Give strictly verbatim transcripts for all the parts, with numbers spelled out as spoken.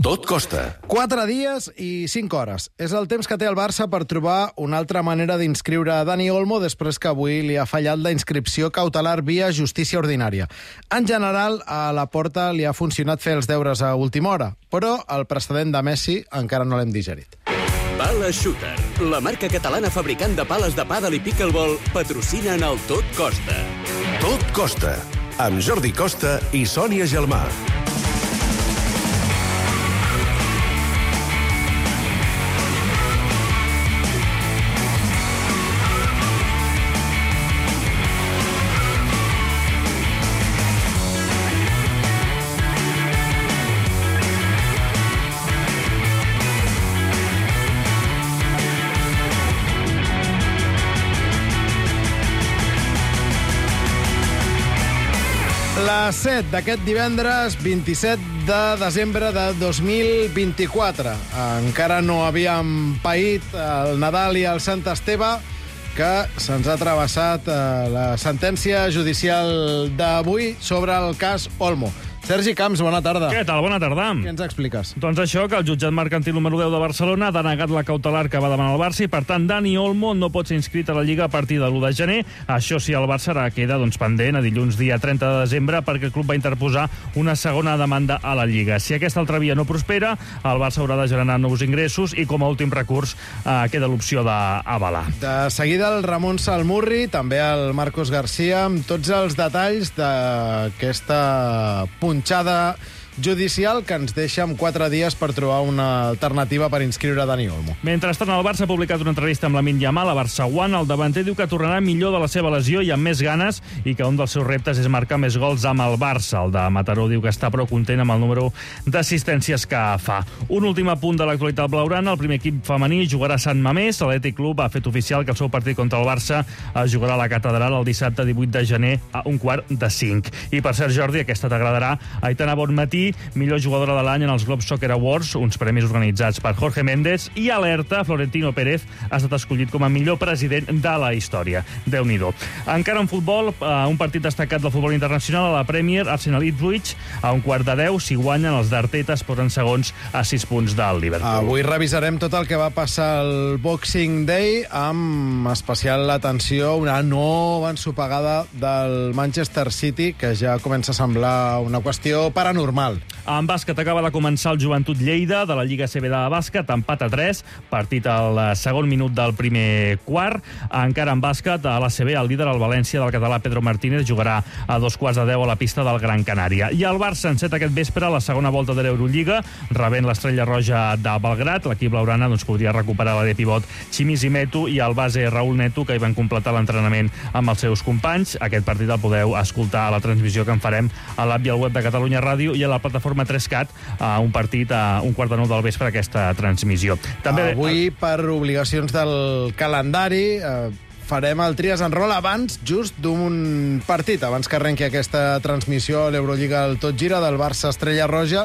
Tot costa. Quatre dies i cinc hores. És el temps que té el Barça per trobar una altra manera d'inscriure Dani Olmo després que avui li ha fallat la inscripció cautelar via justícia ordinària. En general, a la Porta li ha funcionat fer els deures a última hora, però el precedent de Messi encara no l'hem digerit. Pala Shooter, la marca catalana fabricant de pales de pàdel i pickleball, patrocina en el Tot Costa. Tot costa. Amb Jordi Costa i Sònia Gelmà. Les set d'aquest divendres, vint-i-set de desembre de dos mil vint-i-quatre. Encara no havíem paït el Nadal i el Sant Esteve, que se'ns ha travessat la sentència judicial d'avui sobre el cas Olmo. Sergi Camps, bona tarda. Què tal? Bona tarda. Què ens expliques? Doncs això, que el jutjat mercantil número deu de Barcelona ha denegat la cautelar que va demanar el Barça i, per tant, Dani Olmo no pot ser inscrit a la Lliga a partir de l'u de gener. Això sí, el Barça ara queda doncs, pendent a dilluns dia trenta de desembre perquè el club va interposar una segona demanda a la Lliga. Si aquesta altra via no prospera, el Barça haurà de generar nous ingressos i, com a últim recurs, eh, queda l'opció d'avalar. De seguida, el Ramon Salmurri, també el Marcos García, amb tots els detalls d'aquesta punxada judicial que ens deixa amb quatre dies per trobar una alternativa per inscriure Dani Olmo. Mentrestant, el Barça ha publicat una entrevista amb Lamine Yamal a Barça One. El davanter diu que tornarà millor de la seva lesió i amb més ganes i que un dels seus reptes és marcar més gols amb el Barça. El de Mataró diu que està prou content amb el número d'assistències que fa. Un últim apunt de l'actualitat blaugrana. El primer equip femení jugarà a Sant Mamés. L'Atlètic Club ha fet oficial que el seu partit contra el Barça es jugarà a la Catedral el dissabte divuit de gener a un quart de cinc. I per cert, Jordi, aquesta t'agradarà. Aitana Bonmatí, millor jugadora de l'any en els Globe Soccer Awards, uns premis organitzats per Jorge Méndez, i alerta, Florentino Pérez ha estat escollit com a millor president de la història. Déu-n'hi-do. Encara en futbol, un partit destacat del futbol internacional a la Premier, Arsenal-Ipswich, a un quart de deu, si guanyen els d'Arteta es posen segons a sis punts del Liverpool. Avui revisarem tot el que va passar el Boxing Day, amb especial atenció a una nova ensopegada del Manchester City, que ja comença a semblar una qüestió paranormal. En bàsquet acaba de començar el Joventut Lleida de la Lliga C B de bàsquet, empat a tres, partit al segon minut del primer quart. Encara en bàsquet, a l'A C B, el líder, el València del català Pedro Martínez, jugarà a dos quarts de deu a la pista del Gran Canària. I el Barça enceta aquest vespre la segona volta de l'Eurolliga, rebent l'Estrella Roja de Belgrat. L'equip blaugrana doncs, podria recuperar la de pivot Chimizi Metu i el base Raúl Neto, que hi van completar l'entrenament amb els seus companys. Aquest partit el podeu escoltar a la transmissió que en farem a l'app i al web de Catalunya Ràdio i a la plataforma tres cat, a un partit a un quart de nou del vespre, aquesta transmissió. També avui, per obligacions del calendari, eh, farem el Tries en Roll abans just d'un partit, abans que arrenqui aquesta transmissió a l'Eurolliga al Tot Gira del Barça Estrella Roja.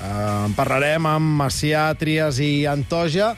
Eh, en parlarem amb Macià, Trias i Antoja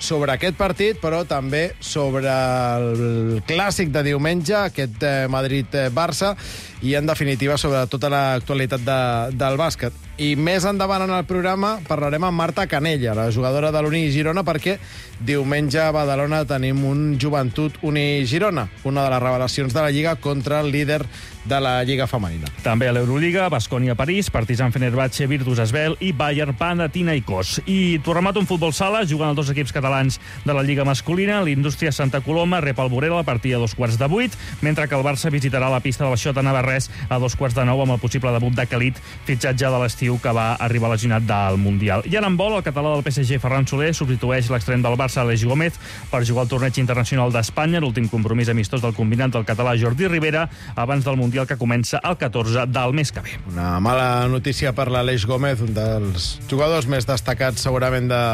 sobre aquest partit, però també sobre el clàssic de diumenge, aquest Madrid-Barça, i en definitiva sobre tota l'actualitat de, del bàsquet. I més endavant en el programa parlarem amb Marta Canella, la jugadora de l'Uni Girona, perquè diumenge a Badalona tenim un Joventut Uni Girona, una de les revelacions de la Lliga contra el líder de la Lliga femenina. També a l'Eurolliga, Baskonia París, Partizan Fenerbahçe, Virtus Esbel i Bayern Panathinaikos. I tornem un futbol sala, jugant els dos equips catalans de la Lliga masculina. L'Indústria Santa Coloma rep el Borel a partir de dos quarts de vuit, mentre que el Barça visitarà la pista del Xota Navarrés a dos quarts de nou amb el possible debut de Khalid, fitxatge de l'estiu que va arribar lesionat del Mundial. I en handbol, el català del P S G, Ferran Soler, substitueix l'extrem del Barça, Aleix Gómez, per jugar al torneig internacional d'Espanya, l'últim compromís amistós del combinat del català Jordi Rivera, abans del Mundial que comença el catorze del mes que ve. Una mala notícia per l'Aleix Gómez, un dels jugadors més destacats segurament de,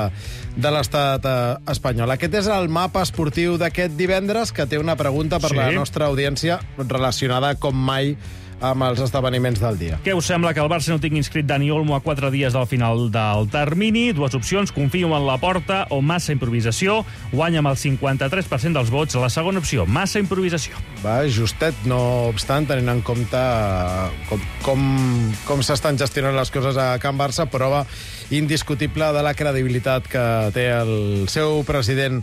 de l'estat eh, espanyol. Aquest és el mapa esportiu d'aquest divendres, que té una pregunta per sí. la nostra audiència relacionada com mai amb els esdeveniments del dia. Què us sembla que el Barça no tingui inscrit Dani Olmo a quatre dies del final del termini? Dues opcions: confio en la Porta o massa improvisació. Guanya amb el cinquanta-tres per cent dels vots la segona opció, massa improvisació. Va, justet, no obstant, tenint en compte com, com, com s'estan gestionant les coses a Can Barça, prova indiscutible de la credibilitat que té el seu president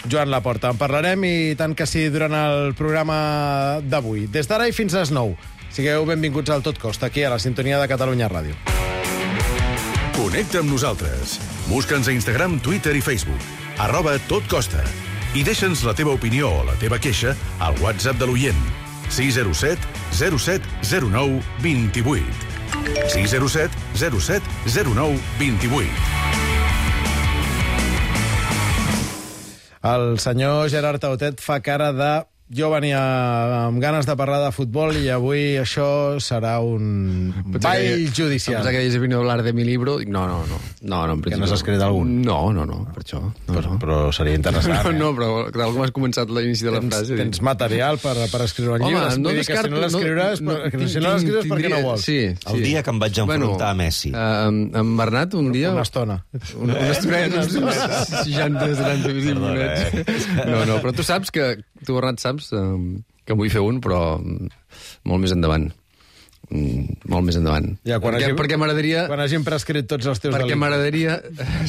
Joan Laporta. En parlarem i tant que sí durant el programa d'avui. Des d'ara i fins a les nou. Sigueu benvinguts al Tot Costa, aquí a la sintonia de Catalunya Ràdio. Connecta amb nosaltres. Busca'ns a Instagram, Twitter i Facebook. Arroba Tot Costa. I deixa'ns la teva opinió o la teva queixa al WhatsApp de l'oient. sis zero set zero set zero nou dos vuit. sis zero set zero set zero nou dos vuit. El senyor Gerard Tautet fa cara de... Jo venia amb ganes de parlar de futbol i avui això serà un ball judicial. Pensava que havies venido a hablar de mi libro. No, no, no. no, no que no has escrit algun? No, no, no, per això. No, però, no. però seria interessant. No, eh? no, però tal com has començat l'inici de la tens, frase... Tens material per, per escriure un Home, llibre. no Vull dir descarto, que si no l'escriuràs, no, no, no, si no l'escrius perquè no vols. Sí, sí. El dia que em vaig enfrontar bueno, a Messi. Uh, amb Bernat, un dia... Una estona. Una, una estona, uns seixanta, setanta minutes. No, no, però tu saps que... Tu, Bernat, saps... Um, que en vull fer un, però molt més endavant. Mm, molt més endavant. Ja, quan perquè, hagim, perquè m'agradaria... Quan hagin prescrit tots els teus perquè delictes. M'agradaria...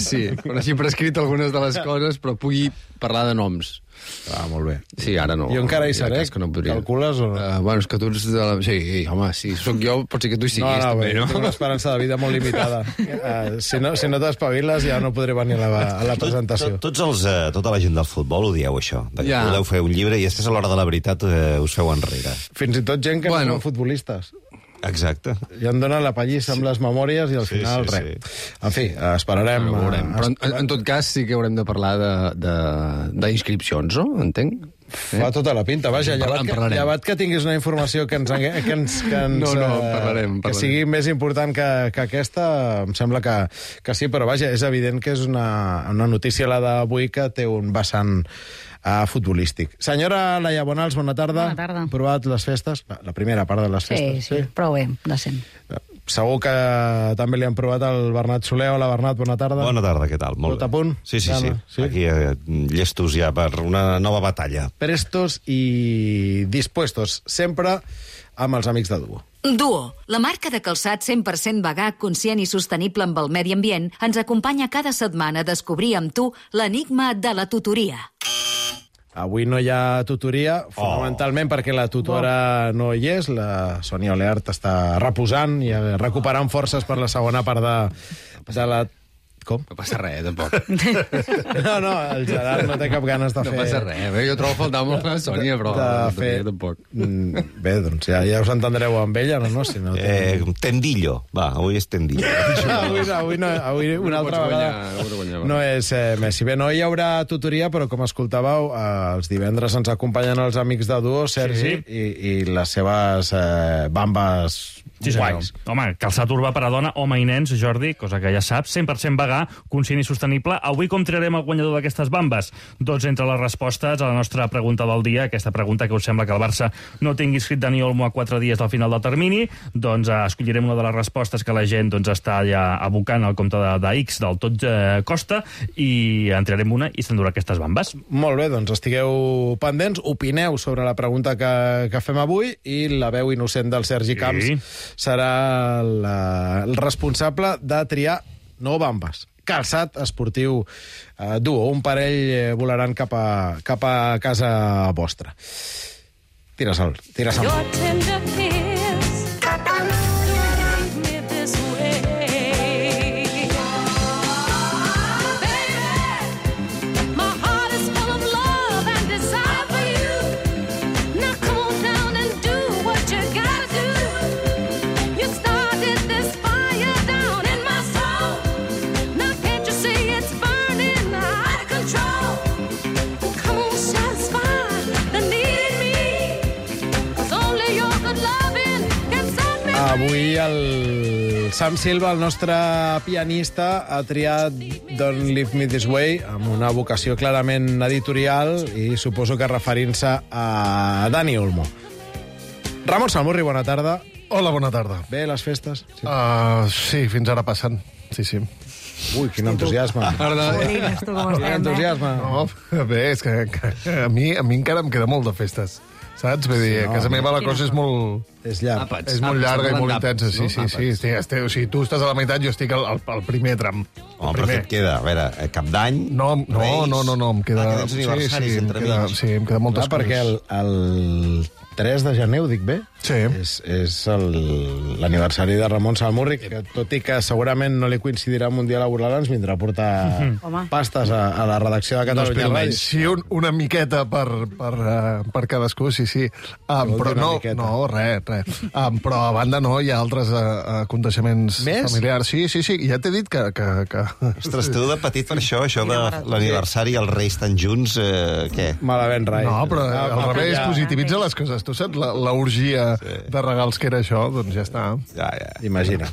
Sí, quan hagin prescrit algunes de les coses, però pugui parlar de noms. Ah, molt bé. Sí, ara no. Jo encara hi seré? Que no podria. Calcules o no? Uh, bueno, és que tu ets de la... Sí, home, si sóc jo, pot ser que tu hi siguis, no, no, també, bé, no? Tinc una esperança de vida molt limitada. Uh, si no, si no t'espaviles ja no podré venir a la, a la presentació. Tot, tot, tots els, uh, tota la gent del futbol ho dieu, això. De que ja. Podeu fer un llibre i després a l'hora de la veritat uh, us feu enrere. Fins i tot gent que bueno. no són futbolistes. Exacte. I em donen la pallissa amb les memòries i al sí, final sí, res. Sí. En fi, esperarem. Bueno, veurem. Uh, Però en, en tot cas sí que haurem de parlar d'inscripcions, no? Entenc? Fa tota la pinta, vaja, llevat que, llevat que tinguis una informació que ens... Que, ens, que, ens, no, no, uh, parlarem, parlarem. Que sigui més important que, que aquesta, em sembla que, que sí, però vaja, és evident que és una, una notícia la d'avui que té un vessant uh, futbolístic. Senyora Laia Bonals, bona tarda. Bona tarda. Provat les festes? La, la primera part de les sí, festes. Sí, sí, prou bé, decent. Segur que també li han provat el Bernat Soler. Hola, Bernat, bona tarda. Bona tarda, què tal? Molt Tot bé. a punt? Sí, sí, Gana, sí. sí. Aquí eh, llestos ja per una nova batalla. Prestos i dispuestos, sempre amb els amics de Duo. Duo, la marca de calçat cent per cent vegà, conscient i sostenible amb el medi ambient, ens acompanya cada setmana a descobrir amb tu l'enigma de la tutoria. Avui no hi ha tutoria, fonamentalment oh. perquè la tutora no hi és, la Sònia Oleart està reposant i recuperant forces per la segona part de, de la... Com? No passa res, tampoc. No, no, el Gerard no té cap ganes de no fer... No passa res, bé, jo trobo faltar molt la Sònia, però de no fer... tampoc. Bé, doncs ja, ja us entendreu amb ella, no? no? Si no eh, tendillo, va, avui és tendillo. avui, avui, no, avui una altra vegada guanyar, no és eh, Messi. Bé, no hi haurà tutoria, però com escoltàveu, eh, els divendres ens acompanyen els amics de Duo, Sergi, sí. i, i les seves eh, bambes sí, guais. Home, calçat urbà per a dona, home i nens, Jordi, cosa que ja saps, cent per cent vegà, conscient i sostenible. Avui com triarem el guanyador d'aquestes bambes? Doncs entre les respostes a la nostra pregunta del dia, aquesta pregunta que us sembla que el Barça no tingui escrit Dani Olmo a quatre dies del final del termini, doncs eh, escollirem una de les respostes que la gent doncs, està ja abocant al compte de, de X del Tot eh, Costa i en triarem una i s'endurà aquestes bambes. Molt bé, doncs estigueu pendents, opineu sobre la pregunta que, que fem avui i la veu innocent del Sergi Camps sí. serà la, el responsable de triar no bambes, calçat esportiu eh, Duo. Un parell eh, volaran cap a, cap a casa vostra. Tira sol, tira sol. Avui el Sam Silva, el nostre pianista, ha triat Don't Leave Me This Way amb una vocació clarament editorial i suposo que referint-se a Dani Olmo. Ramon Salmurri, bona tarda. Hola, bona tarda. Bé, les festes? Sí, uh, sí fins ara passen. Sí, sí. Ui, quin entusiasme. Polines, tu com Quin entusiasme. No, bé, és que, que a, mi, a mi encara em queda molt de festes. Saps? Vull dir, sí, no, a casa meva la cosa és molt... És llarg. Àpats. És molt Àpats, llarga i parlant molt d'àpats, intensa, sí, no? sí, sí. Àpats. Estic, estic, o sigui, tu estàs a la meitat, jo estic al, al, al primer tram. Home, però què et queda? A veure, eh, cap d'any, No, no, Reis... no, no, no, em queda... Ah, que tens aniversaris sí, sí, entre em queda, mig. sí, em queda moltes Clar, perquè el, el tres de gener, ho dic bé? Sí. És, és el- l'aniversari de Ramon Salmurri, que tot i que segurament no li coincidirà amb un dia laboral, ens vindrà a portar Home. pastes a, a la redacció de Catalunya Ràdio. Sí, un, una miqueta per, per, uh, per cadascú, sí, sí. Um, Vol però dir una no, miqueta. no, res, res. Um, però a banda no, hi ha altres uh, aconteixements Més? familiars. Sí, sí, sí, ja t'he dit que... que, que... Ostres, tu de petit per això, això de l'aniversari i els Reis tan junts, eh, què? Malament, rai. No, però Ah, al va, revés, ja. positivitza les coses. Tu saps la, la orgia sí. de regals que era això? Doncs ja està. Ja, ja. Imagina.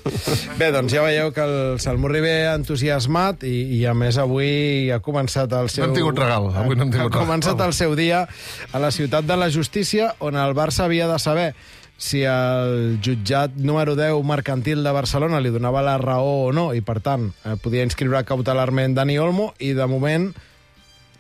Bé, doncs ja veieu que el Salmurri ve entusiasmat i, i a més avui ha començat el seu... No hem tingut regal, avui no hem tingut Ha començat regal. el seu dia a la ciutat de la justícia, on el Barça havia de saber si el jutjat número deu mercantil de Barcelona li donava la raó o no, i per tant eh, podia inscriure cautelarment Dani Olmo, i de moment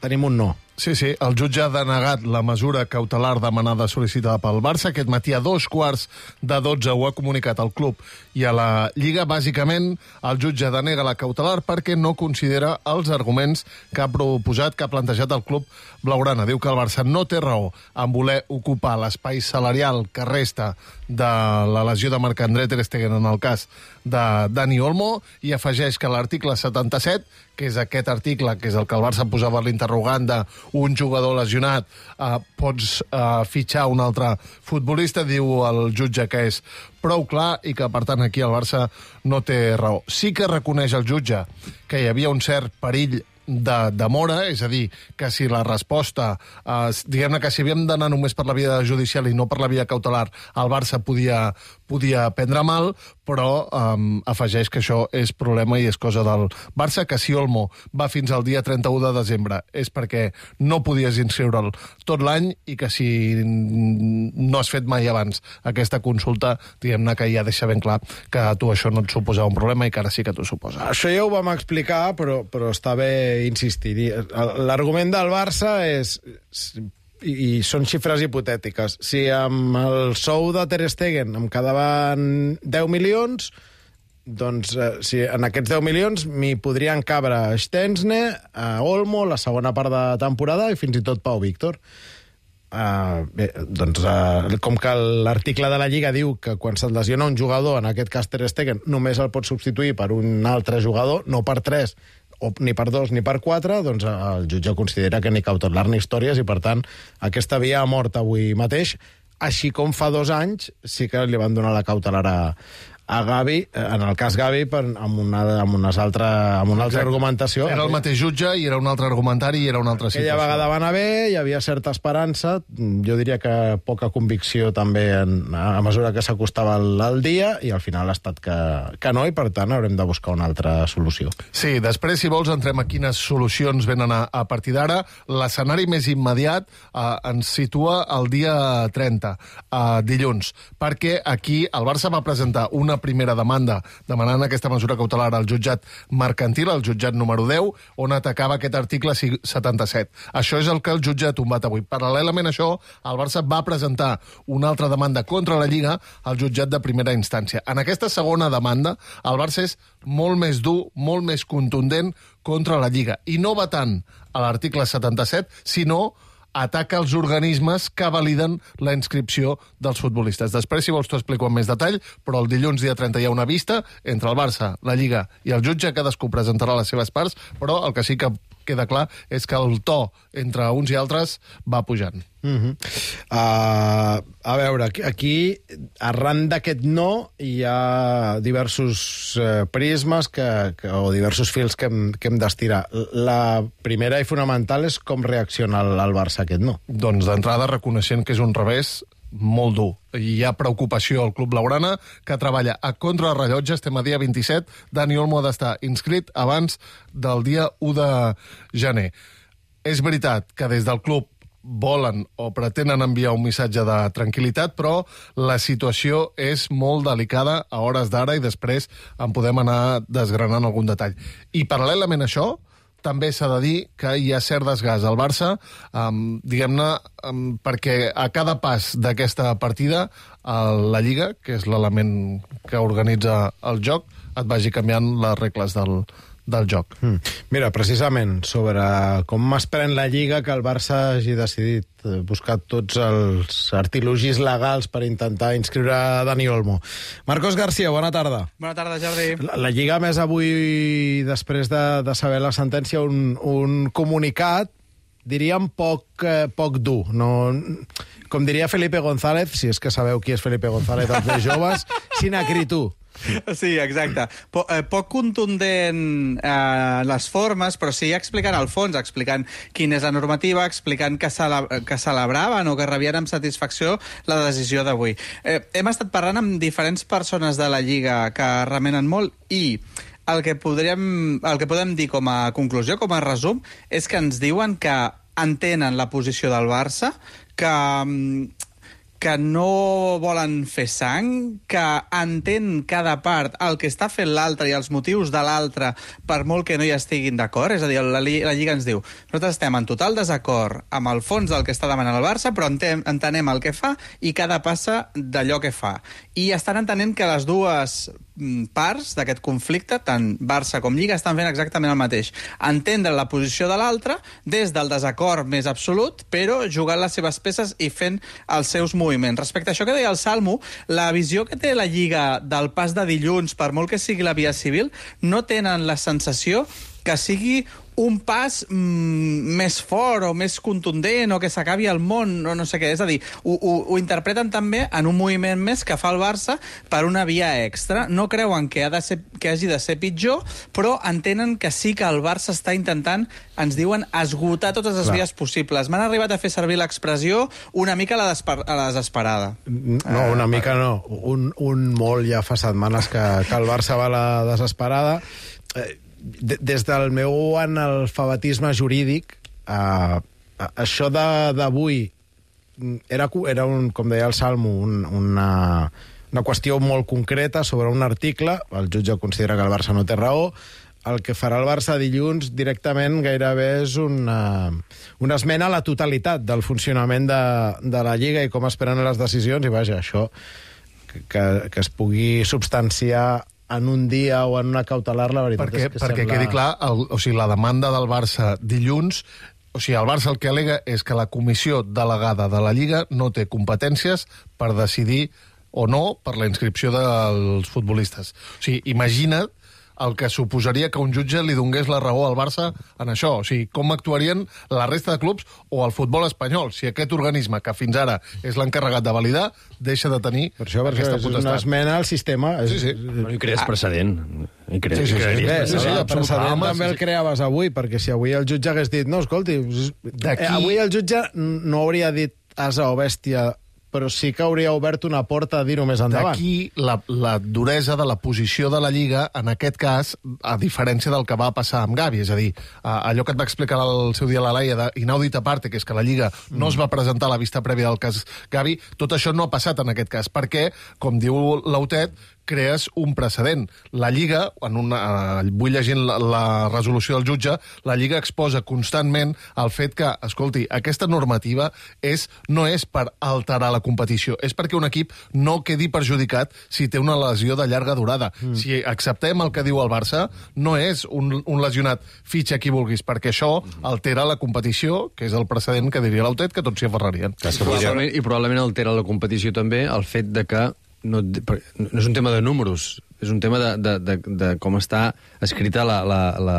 tenim un no. Sí, sí, el jutge ha denegat la mesura cautelar demanada sol·licitada pel Barça. Aquest matí a dos quarts de dotze ho ha comunicat al club i a la Lliga. Bàsicament, el jutge denega la cautelar perquè no considera els arguments que ha proposat, que ha plantejat el club blaugrana. Diu que el Barça no té raó en voler ocupar l'espai salarial que resta de la lesió de Marc-André Ter Stegen en el cas de Dani Olmo, i afegeix que l'article setanta-set, que és aquest article, que és el que el Barça posava l'interrogant de un jugador lesionat, eh, pots eh, fitxar un altre futbolista, diu el jutge que és prou clar i que, per tant, aquí el Barça no té raó. Sí que reconeix el jutge que hi havia un cert perill de demora, és a dir, que si la resposta, eh, diguem-ne que si havíem d'anar només per la via judicial i no per la via cautelar, el Barça podia, podia prendre mal, però eh, afegeix que això és problema i és cosa del Barça, que si Olmo va fins al dia trenta-u de desembre és perquè no podies inscriure'l tot l'any, i que si no has fet mai abans aquesta consulta, diguem-ne que ja deixa ben clar que a tu això no et suposava un problema i que ara sí que t'ho suposa. Això ja ho vam explicar, però, però està bé insistir-hi. L'argument del Barça és, i, i són xifres hipotètiques, si amb el sou de Ter Stegen em quedaven deu milions, doncs eh, si en aquests deu milions m'hi podrien cabre Stensne, a Olmo, la segona part de temporada, i fins i tot Pau Víctor. Uh, bé, doncs uh, com que l'article de la Lliga diu que quan se't lesiona un jugador, en aquest cas Ter Stegen, només el pot substituir per un altre jugador, no per tres, o ni per dos ni per quatre, doncs el jutge considera que ni cautelar ni històries, i per tant aquesta via ha mort avui mateix, així com fa dos anys sí que li van donar la cautelar a, a Gavi, en el cas Gavi, per, amb, una, amb, unes altre, amb una altra Exacte. argumentació. Era el mateix jutge i era un altre argumentari i era una altra situació. Aquella vegada va anar bé, hi havia certa esperança, jo diria que poca convicció també en, a mesura que s'acostava el, el dia, i al final ha estat que, que no, i per tant haurem de buscar una altra solució. Sí, després, si vols, entrem a quines solucions venen a, a partir d'ara. L'escenari més immediat eh, ens situa el dia trenta, eh, dilluns, perquè aquí el Barça va presentar una primera demanda demanant aquesta mesura cautelar al jutjat mercantil, al jutjat número deu, on atacava aquest article setanta-set. Això és el que el jutge ha tombat avui. Paral·lelament a això, el Barça va presentar una altra demanda contra la Lliga al jutjat de primera instància. En aquesta segona demanda, el Barça és molt més dur, molt més contundent contra la Lliga. I no va tant a l'article setanta-set, sinó ataca els organismes que validen la inscripció dels futbolistes. Després, si vols, t'ho explico amb més detall, però el dilluns, dia trenta, hi ha una vista entre el Barça, la Lliga i el jutge. Cadascú presentarà les seves parts, però el que sí que queda clar és que el to entre uns i altres va pujant. Uh-huh. uh, a veure, aquí, aquí arran d'aquest no hi ha diversos uh, prismes que, que, o diversos fils que hem, que hem d'estirar. La primera i fonamental és com reacciona el, el Barça a aquest no. Doncs d'entrada reconeixent que és un revés molt dur. Hi ha preocupació al Club Blaugrana, que treballa a contrarrellotge. Estem a dia vint-i-set. Dani Olmo ha d'estar inscrit abans del dia u de gener. És veritat que des del club volen o pretenen enviar un missatge de tranquil·litat, però la situació és molt delicada a hores d'ara i després en podem anar desgranant algun detall. I paral·lelament a això, també s'ha de dir que hi ha cert desgast al Barça, um, diguem-ne, um, perquè a cada pas d'aquesta partida uh, la Lliga, que és l'element que organitza el joc, et vagi canviant les regles del, del joc. Mm. Mira, precisament, sobre com es pren la Lliga, que el Barça hagi decidit buscar tots els artilogis legals per intentar inscriure Dani Olmo. Marcos García, bona tarda. Bona tarda, Jordi. La, la Lliga, més avui, després de, de saber la sentència, un, un comunicat, diríem, poc, eh, poc dur. No, com diria Felipe González, si és que sabeu qui és Felipe González, els més joves, sin acritud. Sí, exacte. Po eh, poc contundent eh, les formes, però sí explicant el fons, explicant quina és la normativa, explicant que, cele que celebraven o que rebien amb satisfacció la decisió d'avui. Eh, hem estat parlant amb diferents persones de la Lliga que remenen molt i el que, podríem, el que podem dir com a conclusió, com a resum, és que ens diuen que entenen la posició del Barça, que... que no volen fer sang, que entén cada part el que està fent l'altre i els motius de l'altre per molt que no hi estiguin d'acord. És a dir, la, la Lliga ens diu nosaltres estem en total desacord amb el fons del que està demanant el Barça, però entenem, entenem el que fa i cada passa d'allò que fa. I estan entenent que les dues parts d'aquest conflicte, tant Barça com Lliga, estan fent exactament el mateix. Entendre la posició de l'altre des del desacord més absolut, però jugant les seves peces i fent els seus moviments. Respecte a això que deia el Salmo, la visió que té la Lliga del pas de dilluns, per molt que sigui la via civil, no tenen la sensació que sigui un pas mm, més fort o més contundent o que s'acabi el món o no sé què. És a dir, ho, ho, ho interpreten també en un moviment més que fa el Barça per una via extra. No creuen que, ha de ser, que hagi de ser pitjor, però entenen que sí que el Barça està intentant, ens diuen, esgotar totes les Clar. vies possibles. M'han arribat a fer servir l'expressió una mica a la, desper a la desesperada. No, una mica no. Un, un molt ja fa setmanes que, que el Barça va a la desesperada. Eh, Des del meu analfabetisme jurídic, eh, això d'avui era, era un, com deia el Salmo, un, una, una qüestió molt concreta sobre un article. El jutge considera que el Barça no té raó. El que farà el Barça dilluns directament gairebé és una, una esmena a la totalitat del funcionament de, de la Lliga i com es prenen les decisions. I vaja, això que, que es pugui substanciar en un dia o en una cautelar, la veritat perquè, és que perquè sembla... quedi clar, el, o sigui, la demanda del Barça dilluns, o sigui, el Barça el que al·lega és que la comissió delegada de la Lliga no té competències per decidir o no per la inscripció dels futbolistes. O sigui, imagina't el que suposaria que un jutge li donés la raó al Barça en això. O sigui, com actuarien la resta de clubs o el futbol espanyol si aquest organisme, que fins ara és l'encarregat de validar, deixa de tenir per això, per aquesta això, potestat. És una esmena al sistema. Sí, sí. Bueno, I crees precedent. I crees, Sí, sí, sí. Bé, Sí, sí, el absolut. precedent Home, també sí, el sí. creaves avui, perquè si avui el jutge hagués dit no, escolti, D'aquí- eh, avui el jutge no hauria dit asa o bèstia, però sí que hauria obert una porta a dir-ho més endavant. D'aquí la, la duresa de la posició de la Lliga, en aquest cas, a diferència del que va passar amb Gavi. És a dir, allò que et va explicar el seu dia la Laia d'inaudita parte, que és que la Lliga no es va presentar a la vista prèvia del cas Gavi, tot això no ha passat en aquest cas, perquè, com diu l'Autet, crees un precedent. La Lliga, en una, eh, vull llegir la, la resolució del jutge, la Lliga exposa constantment el fet que, escolti, aquesta normativa és, no és per alterar la competició, és perquè un equip no quedi perjudicat si té una lesió de llarga durada. Mm. Si acceptem el que diu el Barça, no és un, un lesionat fitxa qui vulguis, perquè això altera la competició, que és el precedent que diria l'Autet, que tots s'hi aferrarien. I probablement, I probablement altera la competició també el fet de que no, no és un tema de números, és un tema de, de, de, de com està escrita la, la, la,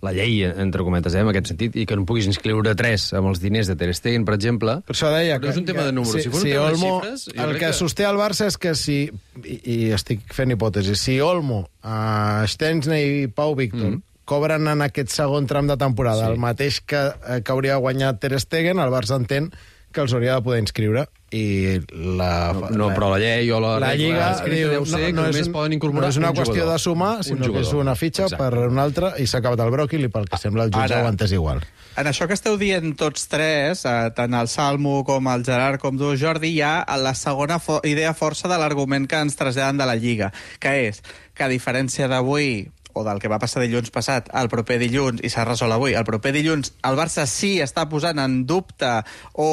la llei, entre cometes, eh, en aquest sentit, i que no puguis inscriure tres amb els diners de Ter Stegen, per exemple. Per això deia no que... és un tema que, de números. Si, Si fos si un tema Olmo, de xifres... el que, que sosté el Barça és que si... I, i estic fent hipòtesi. Si Olmo, uh, Stensney i Pau Víctor mm. cobren en aquest segon tram de temporada sí. el mateix que, que hauria guanyat Ter Stegen, el Barça entén que els hauria de poder inscriure i la... No, no però la llei o la, la Lliga diu, deu ser no, no que només és, poden incorporar no és una un qüestió jugador. de sumar, sinó un que és una fitxa Exacte. Per una altra i s'ha acabat el bròquil i pel que sembla el jutge Ara, ho ha entès igual. En això que esteu dient tots tres, eh, tant el Salmo com el Gerard com tu, Jordi, hi ha la segona fo idea força de l'argument que ens traslladen de la Lliga, que és que a diferència d'avui o del que va passar dilluns passat al proper dilluns, i s'ha resolt avui, el proper dilluns el Barça sí està posant en dubte o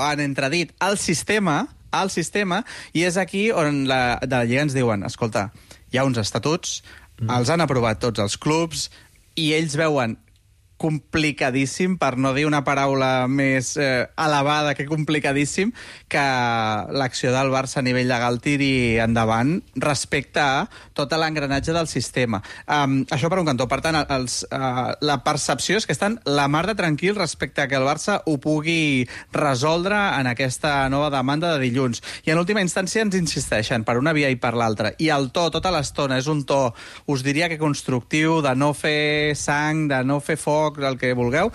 en entredit el sistema, el sistema, i és aquí on la, de la Lliga ens diuen, escolta, hi ha uns estatuts, mm. els han aprovat tots els clubs, i ells veuen complicadíssim, per no dir una paraula més eh, elevada que complicadíssim, que l'acció del Barça a nivell legal tiri endavant respecte a tot l'engranatge del sistema. Um, això per un cantó. Per tant, els, uh, la percepció és que estan la mar de tranquil respecte a que el Barça ho pugui resoldre en aquesta nova demanda de dilluns. I en última instància ens insisteixen per una via i per l'altra. I el to, tota l'estona, és un to, us diria que constructiu, de no fer sang, de no fer foc, el que vulgueu,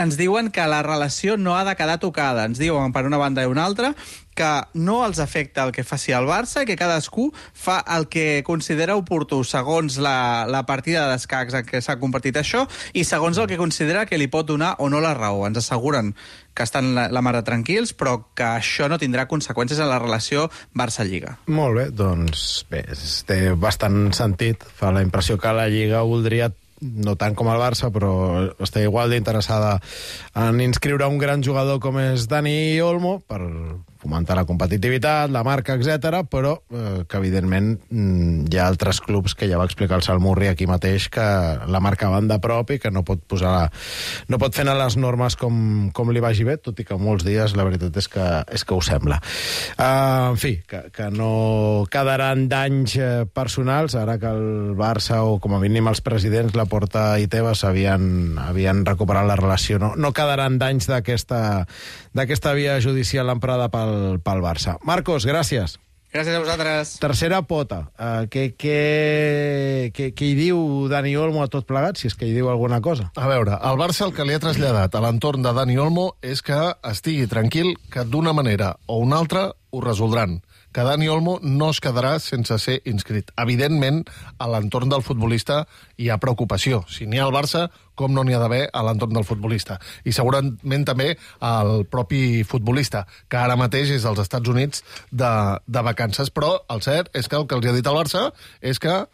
ens diuen que la relació no ha de quedar tocada. Ens diuen per una banda i una altra que no els afecta el que faci el Barça i que cadascú fa el que considera oportú segons la, la partida d'escacs en què s'ha compartit això i segons el que considera que li pot donar o no la raó. Ens asseguren que estan la, la mar de tranquils, però que això no tindrà conseqüències en la relació Barça-Lliga. Molt bé, doncs bé, té bastant sentit. Fa la impressió que la Lliga voldria, no tant com el Barça, però està igual d'interessada en inscriure un gran jugador com és Dani Olmo per fomentar la competitivitat, la marca, etcètera, però eh, que, evidentment, hi ha altres clubs que ja va explicar el Salmurri aquí mateix que la marca van de prop i que no pot posar, no pot fer les normes com, com li vagi bé, tot i que molts dies la veritat és que, és que ho sembla. Uh, en fi, que, que no quedaran danys personals, ara que el Barça, o com a mínim els presidents, Laporta i Tebas, havien, havien recuperat la relació. No, no quedaran danys d'aquesta d'aquesta via judicial emprada pel pel Barça. Marcos, gràcies. Gràcies a vosaltres. Tercera pota. Uh, què, què, què, què hi diu Dani Olmo a tot plegat, si és que hi diu alguna cosa? A veure, el Barça el que li ha traslladat a l'entorn de Dani Olmo és que estigui tranquil, que d'una manera o una altra ho resoldran, que Dani Olmo no es quedarà sense ser inscrit. Evidentment, a l'entorn del futbolista hi ha preocupació. Si n'hi ha al Barça, com no n'hi ha d'haver a l'entorn del futbolista. I segurament també al propi futbolista, que ara mateix és als Estats Units de, de vacances. Però el cert és que el que els ha dit el Barça és que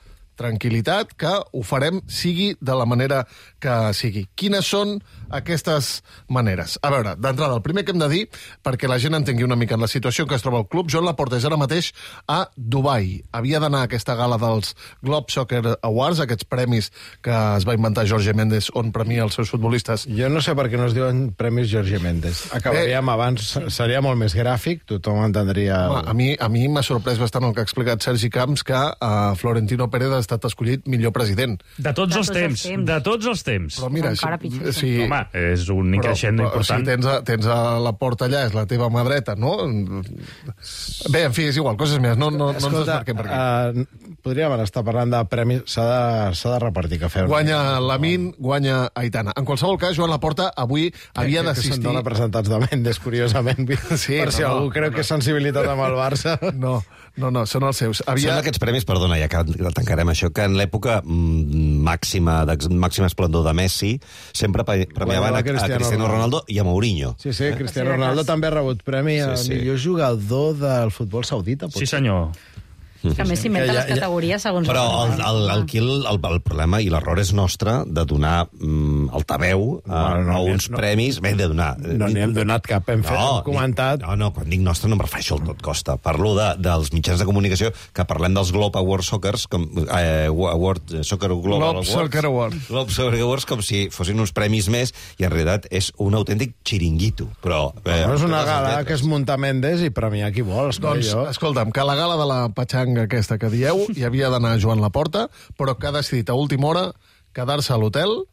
tranquil·litat, que ho farem sigui de la manera que sigui. Quines són aquestes maneres? A veure, d'entrada, el primer que hem de dir, perquè la gent entengui una mica en la situació en què es troba el club, Joan Laporta és ara mateix a Dubai. Havia d'anar a aquesta gala dels Globe Soccer Awards, aquests premis que es va inventar Jorge Méndez, on premia els seus futbolistes. Jo no sé per què no es diuen premis Jorge Méndez. Acabaríem eh, abans, seria molt més gràfic, tothom entendria... Home, a mi, a mi m'ha sorprès bastant el que ha explicat Sergi Camps, que uh, Florentino Pérez ha estat escollit millor president. De tots, els, temps, els temps, de tots els temps. Però mira, si, si, home, és un increixendo però, però, important. Si tens a, tens a la porta allà, és la teva mà dreta, no? Bé, en fi, és igual, coses més, no, no, no ens desmarquem per aquí. Uh, podríem estar parlant de premis, s'ha de, s'ha de repartir cafè. Guanya Lamin, guanya Aitana. En qualsevol cas, Joan Laporta avui havia d'assistir... Que són representats de Mendes, curiosament. Sí, per si no, algú no, creu no, que és sensibilitat amb el Barça. No, no, no, són els seus. Havia... Són aquests premis, perdona, ja que tancarem això, que en l'època màxima, de màxima esplendor de Messi sempre premiaven a, a Cristiano Ronaldo i a Mourinho. Sí, sí, Cristiano Ronaldo també ha rebut premi al sí, sí. millor jugador del futbol saudita. Sí, senyor. Que a més s'inventa les categories segons... Però el, el, el, el, el, el problema i l'error és nostre de donar mm, altaveu a, no, no, a uns no, premis... Bé, de donar... No n'hi hem donat cap, hem, fet, no, hem comentat... No, no, quan dic nostre no em refereixo al tot costa. Parlo de, dels mitjans de comunicació que parlem dels Globe Award Soccers, com, eh, Award, Soccer Global Globe Awards, Soccer Awards. Globe Soccer Awards, com si fossin uns premis més, i en realitat és un autèntic xiringuito. Però, eh, no és una gala que es munta Mendes i premiar qui vol. Doncs, jo. Escolta'm, que la gala de la patxanga aquesta que dieu hi havia d'anar Joan Laporta, però que ha decidit a última hora quedar-se a l'hotel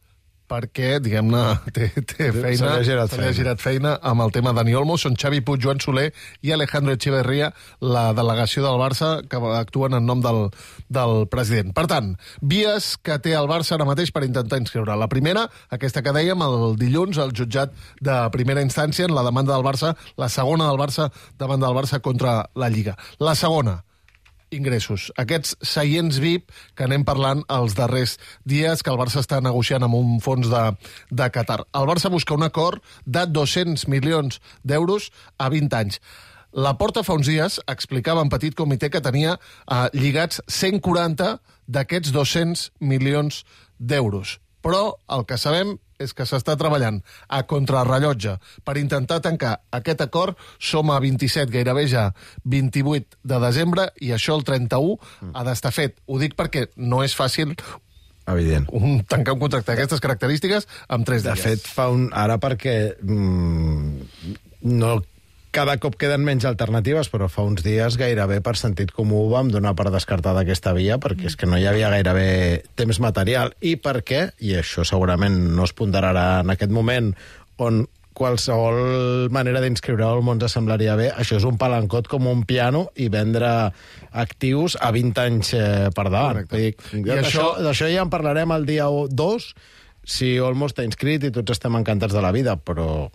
perquè, diguem-ne, té, té feina, se li ha girat, feina. girat feina amb el tema Dani Olmo. Són Xavi Puig, Joan Soler i Alejandro Echeverría, la delegació del Barça, que actuen en nom del, del president. Per tant, vies que té el Barça ara mateix per intentar inscriure. La primera, aquesta que dèiem, el dilluns, el jutjat de primera instància en la demanda del Barça, la segona del Barça davant del Barça contra la Lliga. La segona, ingressos. Aquests seients V I P que anem parlant els darrers dies, que el Barça està negociant amb un fons de, de Qatar. El Barça busca un acord de dos-cents milions d'euros a vint anys. La Porta fa uns dies explicava en petit comitè que tenia eh, lligats cent quaranta d'aquests dos-cents milions d'euros. Però el que sabem és que s'està treballant a contrarrellotge per intentar tancar aquest acord. Som a vint-i-set, gairebé ja vint-i-vuit de desembre, i això el trenta-u ha d'estar fet. Ho dic perquè no és fàcil evident. Un, tancar un contracte d'aquestes característiques amb tres dies. De fet, fa un... ara perquè mm, no... cada cop queden menys alternatives, però fa uns dies gairebé per sentit comú vam donar per descartada aquesta via, perquè és que no hi havia gairebé temps material, i perquè, i això segurament no es ponderarà en aquest moment, on qualsevol manera d'inscriure-ho al món semblaria bé, això és un palancot com un piano i vendre actius a vint anys eh, per davant. Dic, d'això això... ja en parlarem el dia dos, si Olmo està inscrit i tots estem encantats de la vida, però...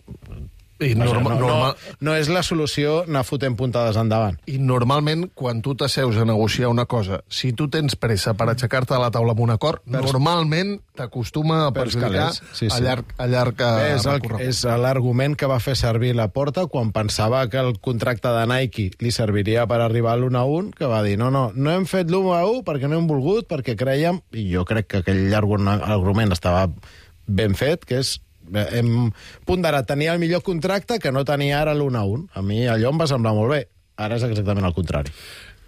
I norma, no, norma... no, no és la solució anar fotent puntades endavant. I normalment, quan tu t'asseus a negociar una cosa, si tu tens pressa per aixecar-te de la taula amb un acord, Pers... normalment t'acostuma a perjudicar sí, sí. a llarg, a llarg Bé, és, el, és l'argument que va fer servir Laporta quan pensava que el contracte de Nike li serviria per arribar a l'u a un, que va dir, no, no, no hem fet l'u a un perquè no hem volgut, perquè creiem, i jo crec que aquell argument estava ben fet, que és hem ponderat tenir el millor contracte que no tenia ara l'u a un. A mi allò em va semblar molt bé. Ara és exactament el contrari.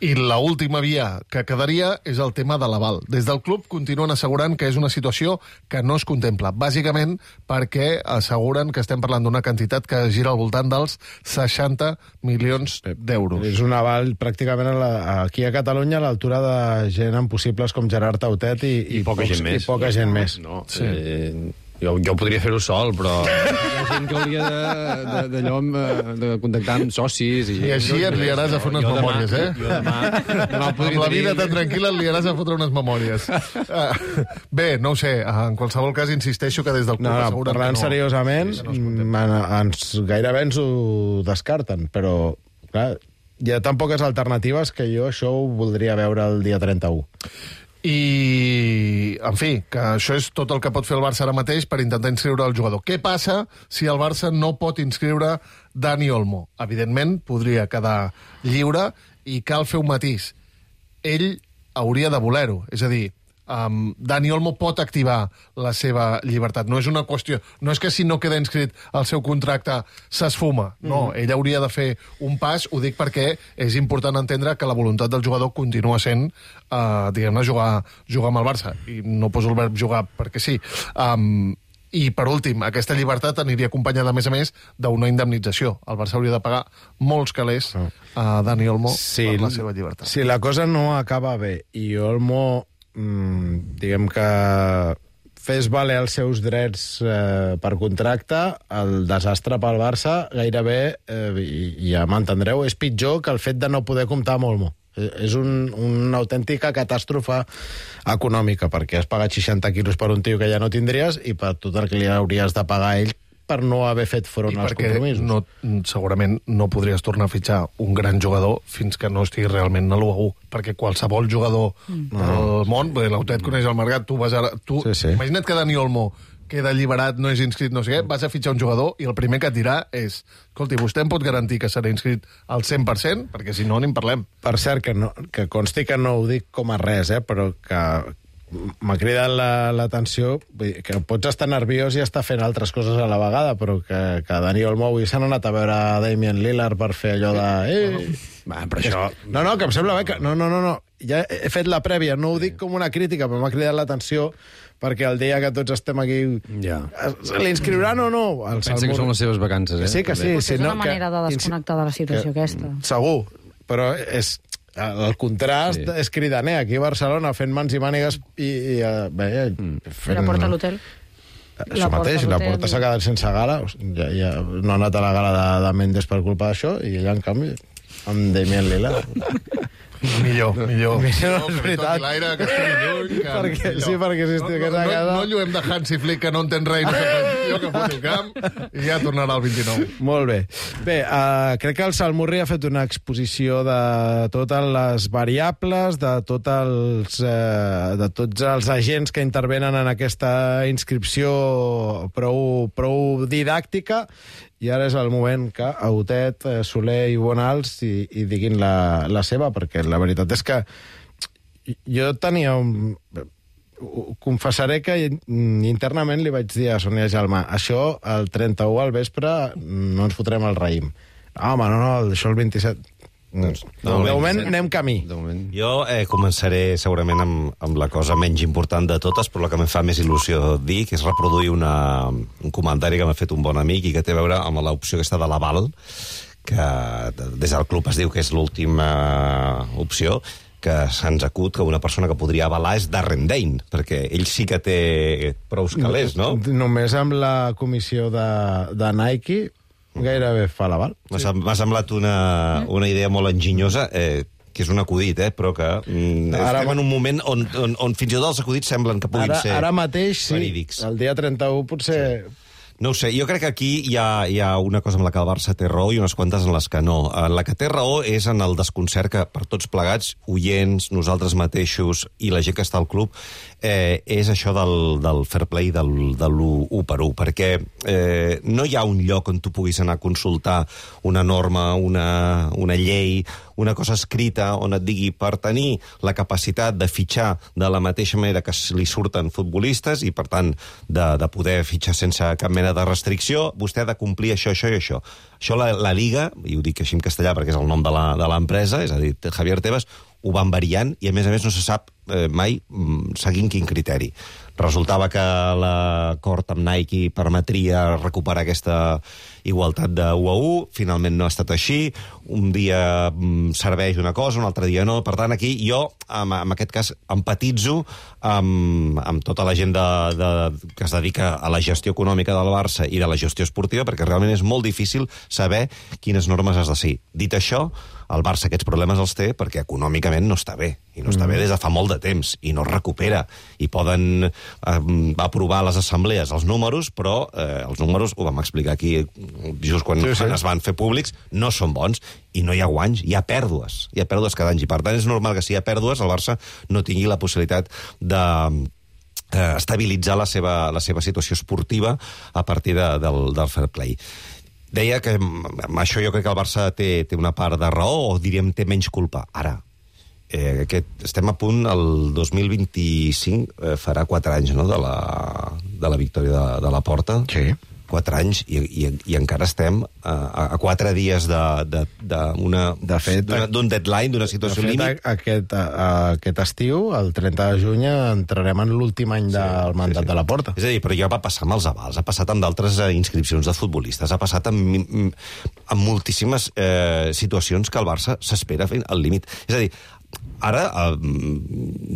I l'última via que quedaria és el tema de l'aval. Des del club continuen assegurant que és una situació que no es contempla, bàsicament perquè asseguren que estem parlant d'una quantitat que gira al voltant dels seixanta milions d'euros. És un aval pràcticament a la, aquí a Catalunya a l'altura de gent amb possibles com Gerard Tautet i, i, i poca pocs, gent més. I poca gent més. No, sí. eh... Jo, jo podria fer-ho sol, però hi ha gent que hauria d'allò de, de, de contactar amb socis. I, I així et liaràs a fer unes jo memòries, demà, eh? Jo demà, demà amb la vida tan tranquil·la et liaràs a fotre unes memòries. Uh, bé, no ho sé, en qualsevol cas insisteixo que des del club no, no, asseguren parlant que no... seriosament, sí, no ens, gairebé ens ho descarten, però clar, hi ha tan poques alternatives que jo això ho voldria veure el dia trenta-u. I, en fi, que això és tot el que pot fer el Barça ara mateix per intentar inscriure el jugador. Què passa si el Barça no pot inscriure Dani Olmo? Evidentment, podria quedar lliure i cal fer un matís. Ell hauria de voler-ho, és a dir, Um, Dani Olmo pot activar la seva llibertat. No és una qüestió... No és que si no queda inscrit el seu contracte s'esfuma. No, mm. ell hauria de fer un pas. Ho dic perquè és important entendre que la voluntat del jugador continua sent, uh, diguem-ne, jugar, jugar amb el Barça. I no poso el verb jugar perquè sí. Um, I, per últim, aquesta llibertat aniria acompanyada, a més a més, d'una indemnització. El Barça hauria de pagar molts calés a Dani Olmo sí, per la seva llibertat. Si la cosa no acaba bé i Olmo... Mm, diguem que fes valer els seus drets eh, per contracte, el desastre pel Barça gairebé, eh, i, i ja m'entendreu, és pitjor que el fet de no poder comptar amb Olmo. És un, una autèntica catàstrofe econòmica, perquè has pagat seixanta quilos per un tio que ja no tindries i per tot el que li hauries de pagar a ell per no haver fet front als compromisos. No, segurament no podries tornar a fitxar un gran jugador fins que no estigui realment a l'u a u, perquè qualsevol jugador mm. del món, l'Autet coneix el mercat, tu vas a... Tu, sí, sí. Imagina't que Dani Olmo queda alliberat, no és inscrit, no sé què, vas a fitxar un jugador i el primer que et dirà és escolti, vostè em pot garantir que serà inscrit al cent per cent? Perquè si no, ni en parlem. Per cert, que, no, que consti que no ho dic com a res, eh, però que m'ha cridat l'atenció, la, que pots estar nerviós i estar fent altres coses a la vegada, però que, que Dani Olmo avui s'han anat a veure Damian Lillard per fer allò de... Eh, Va, però això... No, no, que em sembla bé que... No, no, no, no. Ja he fet la prèvia, no ho dic com una crítica, però m'ha cridat l'atenció perquè el dia que tots estem aquí... Ja. L'inscriuran o no? El Pensa Salmur... que són les seves vacances, eh? Sí, que sí. Potser sí, és no, una manera que... de desconnectar de la situació que... aquesta. Segur, però és... El contrast sí. és cridaner. Aquí a Barcelona fent mans i mànigues i... i bé, mm. fent... La porta a l'hotel. Això mateix, la porta s'ha quedat sense gala. Ja, ja no ha anat a la gala de, de Mendes per culpa d'això i ella, en canvi, amb Damian Lillard. Millor, millor. Millor, no, és veritat. L'aire, que estem lluny, que perquè, sí, perquè si estic no, no, no, no lluem de Hansi Flick, que no entén res, jo que foto el camp, i ja tornarà el vint-i-nou. Molt bé. Bé, uh, crec que el Salmurri ha fet una exposició de totes les variables, de, tot els, uh, de tots els agents que intervenen en aquesta inscripció prou, prou didàctica, i ara és el moment que Autet, Soler i Bonals i, i diguin la, la seva, perquè la veritat és que jo tenia un... Confessaré que internament li vaig dir a Sonia Jalmà, això el trenta-u al vespre no ens fotrem el raïm. Ah, home, no, no, això el vint-i-set... Doncs, no, de moment anem camí. Jo eh, començaré segurament amb, amb la cosa menys important de totes, però la que em fa més il·lusió dir, que és reproduir una, un comentari que m'ha fet un bon amic i que té a veure amb l'opció aquesta de l'aval, que des del club es diu que és l'última opció, que se'ns acut que una persona que podria avalar és Darren Dane, perquè ell sí que té prous calés, no? Només amb la comissió de, de Nike gairebé fa l'aval. M'ha sí. semblat una, una idea molt enginyosa, eh, que és un acudit, eh, però que mm, ara, estem en un moment on, on, on fins i tot els acudits semblen que puguin ara, ser ara mateix, sí, verídics. El dia trenta-u potser... Sí. No ho sé, jo crec que aquí hi ha, hi ha una cosa amb la que el Barça té raó i unes quantes en les que no. En la que té raó és en el desconcert que per tots plegats, oients, nosaltres mateixos i la gent que està al club, eh, és això del, del fair play, del, de l'u per u, perquè eh, no hi ha un lloc on tu puguis anar a consultar una norma, una, una llei, una cosa escrita on et digui per tenir la capacitat de fitxar de la mateixa manera que li surten futbolistes i, per tant, de, de poder fitxar sense cap mena de restricció, vostè ha de complir això, això i això. Això la, la Liga, i ho dic així en castellà perquè és el nom de l'empresa, és a dir, Javier Tebas, ho van variant i, a més a més, no se sap eh, mai seguint quin criteri. Resultava que l'acord amb Nike permetria recuperar aquesta igualtat de u a u, finalment no ha estat així, un dia mm, serveix una cosa, un altre dia no, per tant aquí jo, en, en aquest cas, empatitzo amb, amb tota la gent de, de, que es dedica a la gestió econòmica del Barça i de la gestió esportiva, perquè realment és molt difícil saber quines normes has de seguir. Dit això, el Barça aquests problemes els té perquè econòmicament no està bé, i no està bé des de fa molt de temps, i no es recupera, i poden eh, aprovar a les assemblees els números, però eh, els números, ho vam explicar aquí just quan sí, sí. es van fer públics, no són bons, i no hi ha guanys, hi ha pèrdues, hi ha pèrdues cada any, i per tant és normal que si hi ha pèrdues el Barça no tingui la possibilitat de eh, estabilitzar la seva, la seva situació esportiva a partir de, del, del fair play. Deia que amb això jo crec que el Barça té, té una part de raó, o diríem té menys culpa. Ara, eh, aquest, estem a punt, el dos mil vint-i-cinc eh, farà quatre anys, no?, de la, de la victòria de, de la Porta. Sí. Quatre anys, i, i, i encara estem a, a quatre dies d'un de, de, de fet, deadline, d'una situació de fet, límit. Aquest, a, aquest estiu, el trenta de juny, entrarem en l'últim any sí, del mandat sí, sí. de la Porta. És a dir, però ja va passar amb els avals, ha passat amb d'altres inscripcions de futbolistes, ha passat amb, amb moltíssimes eh, situacions que el Barça s'espera fent al límit. És a dir, ara eh,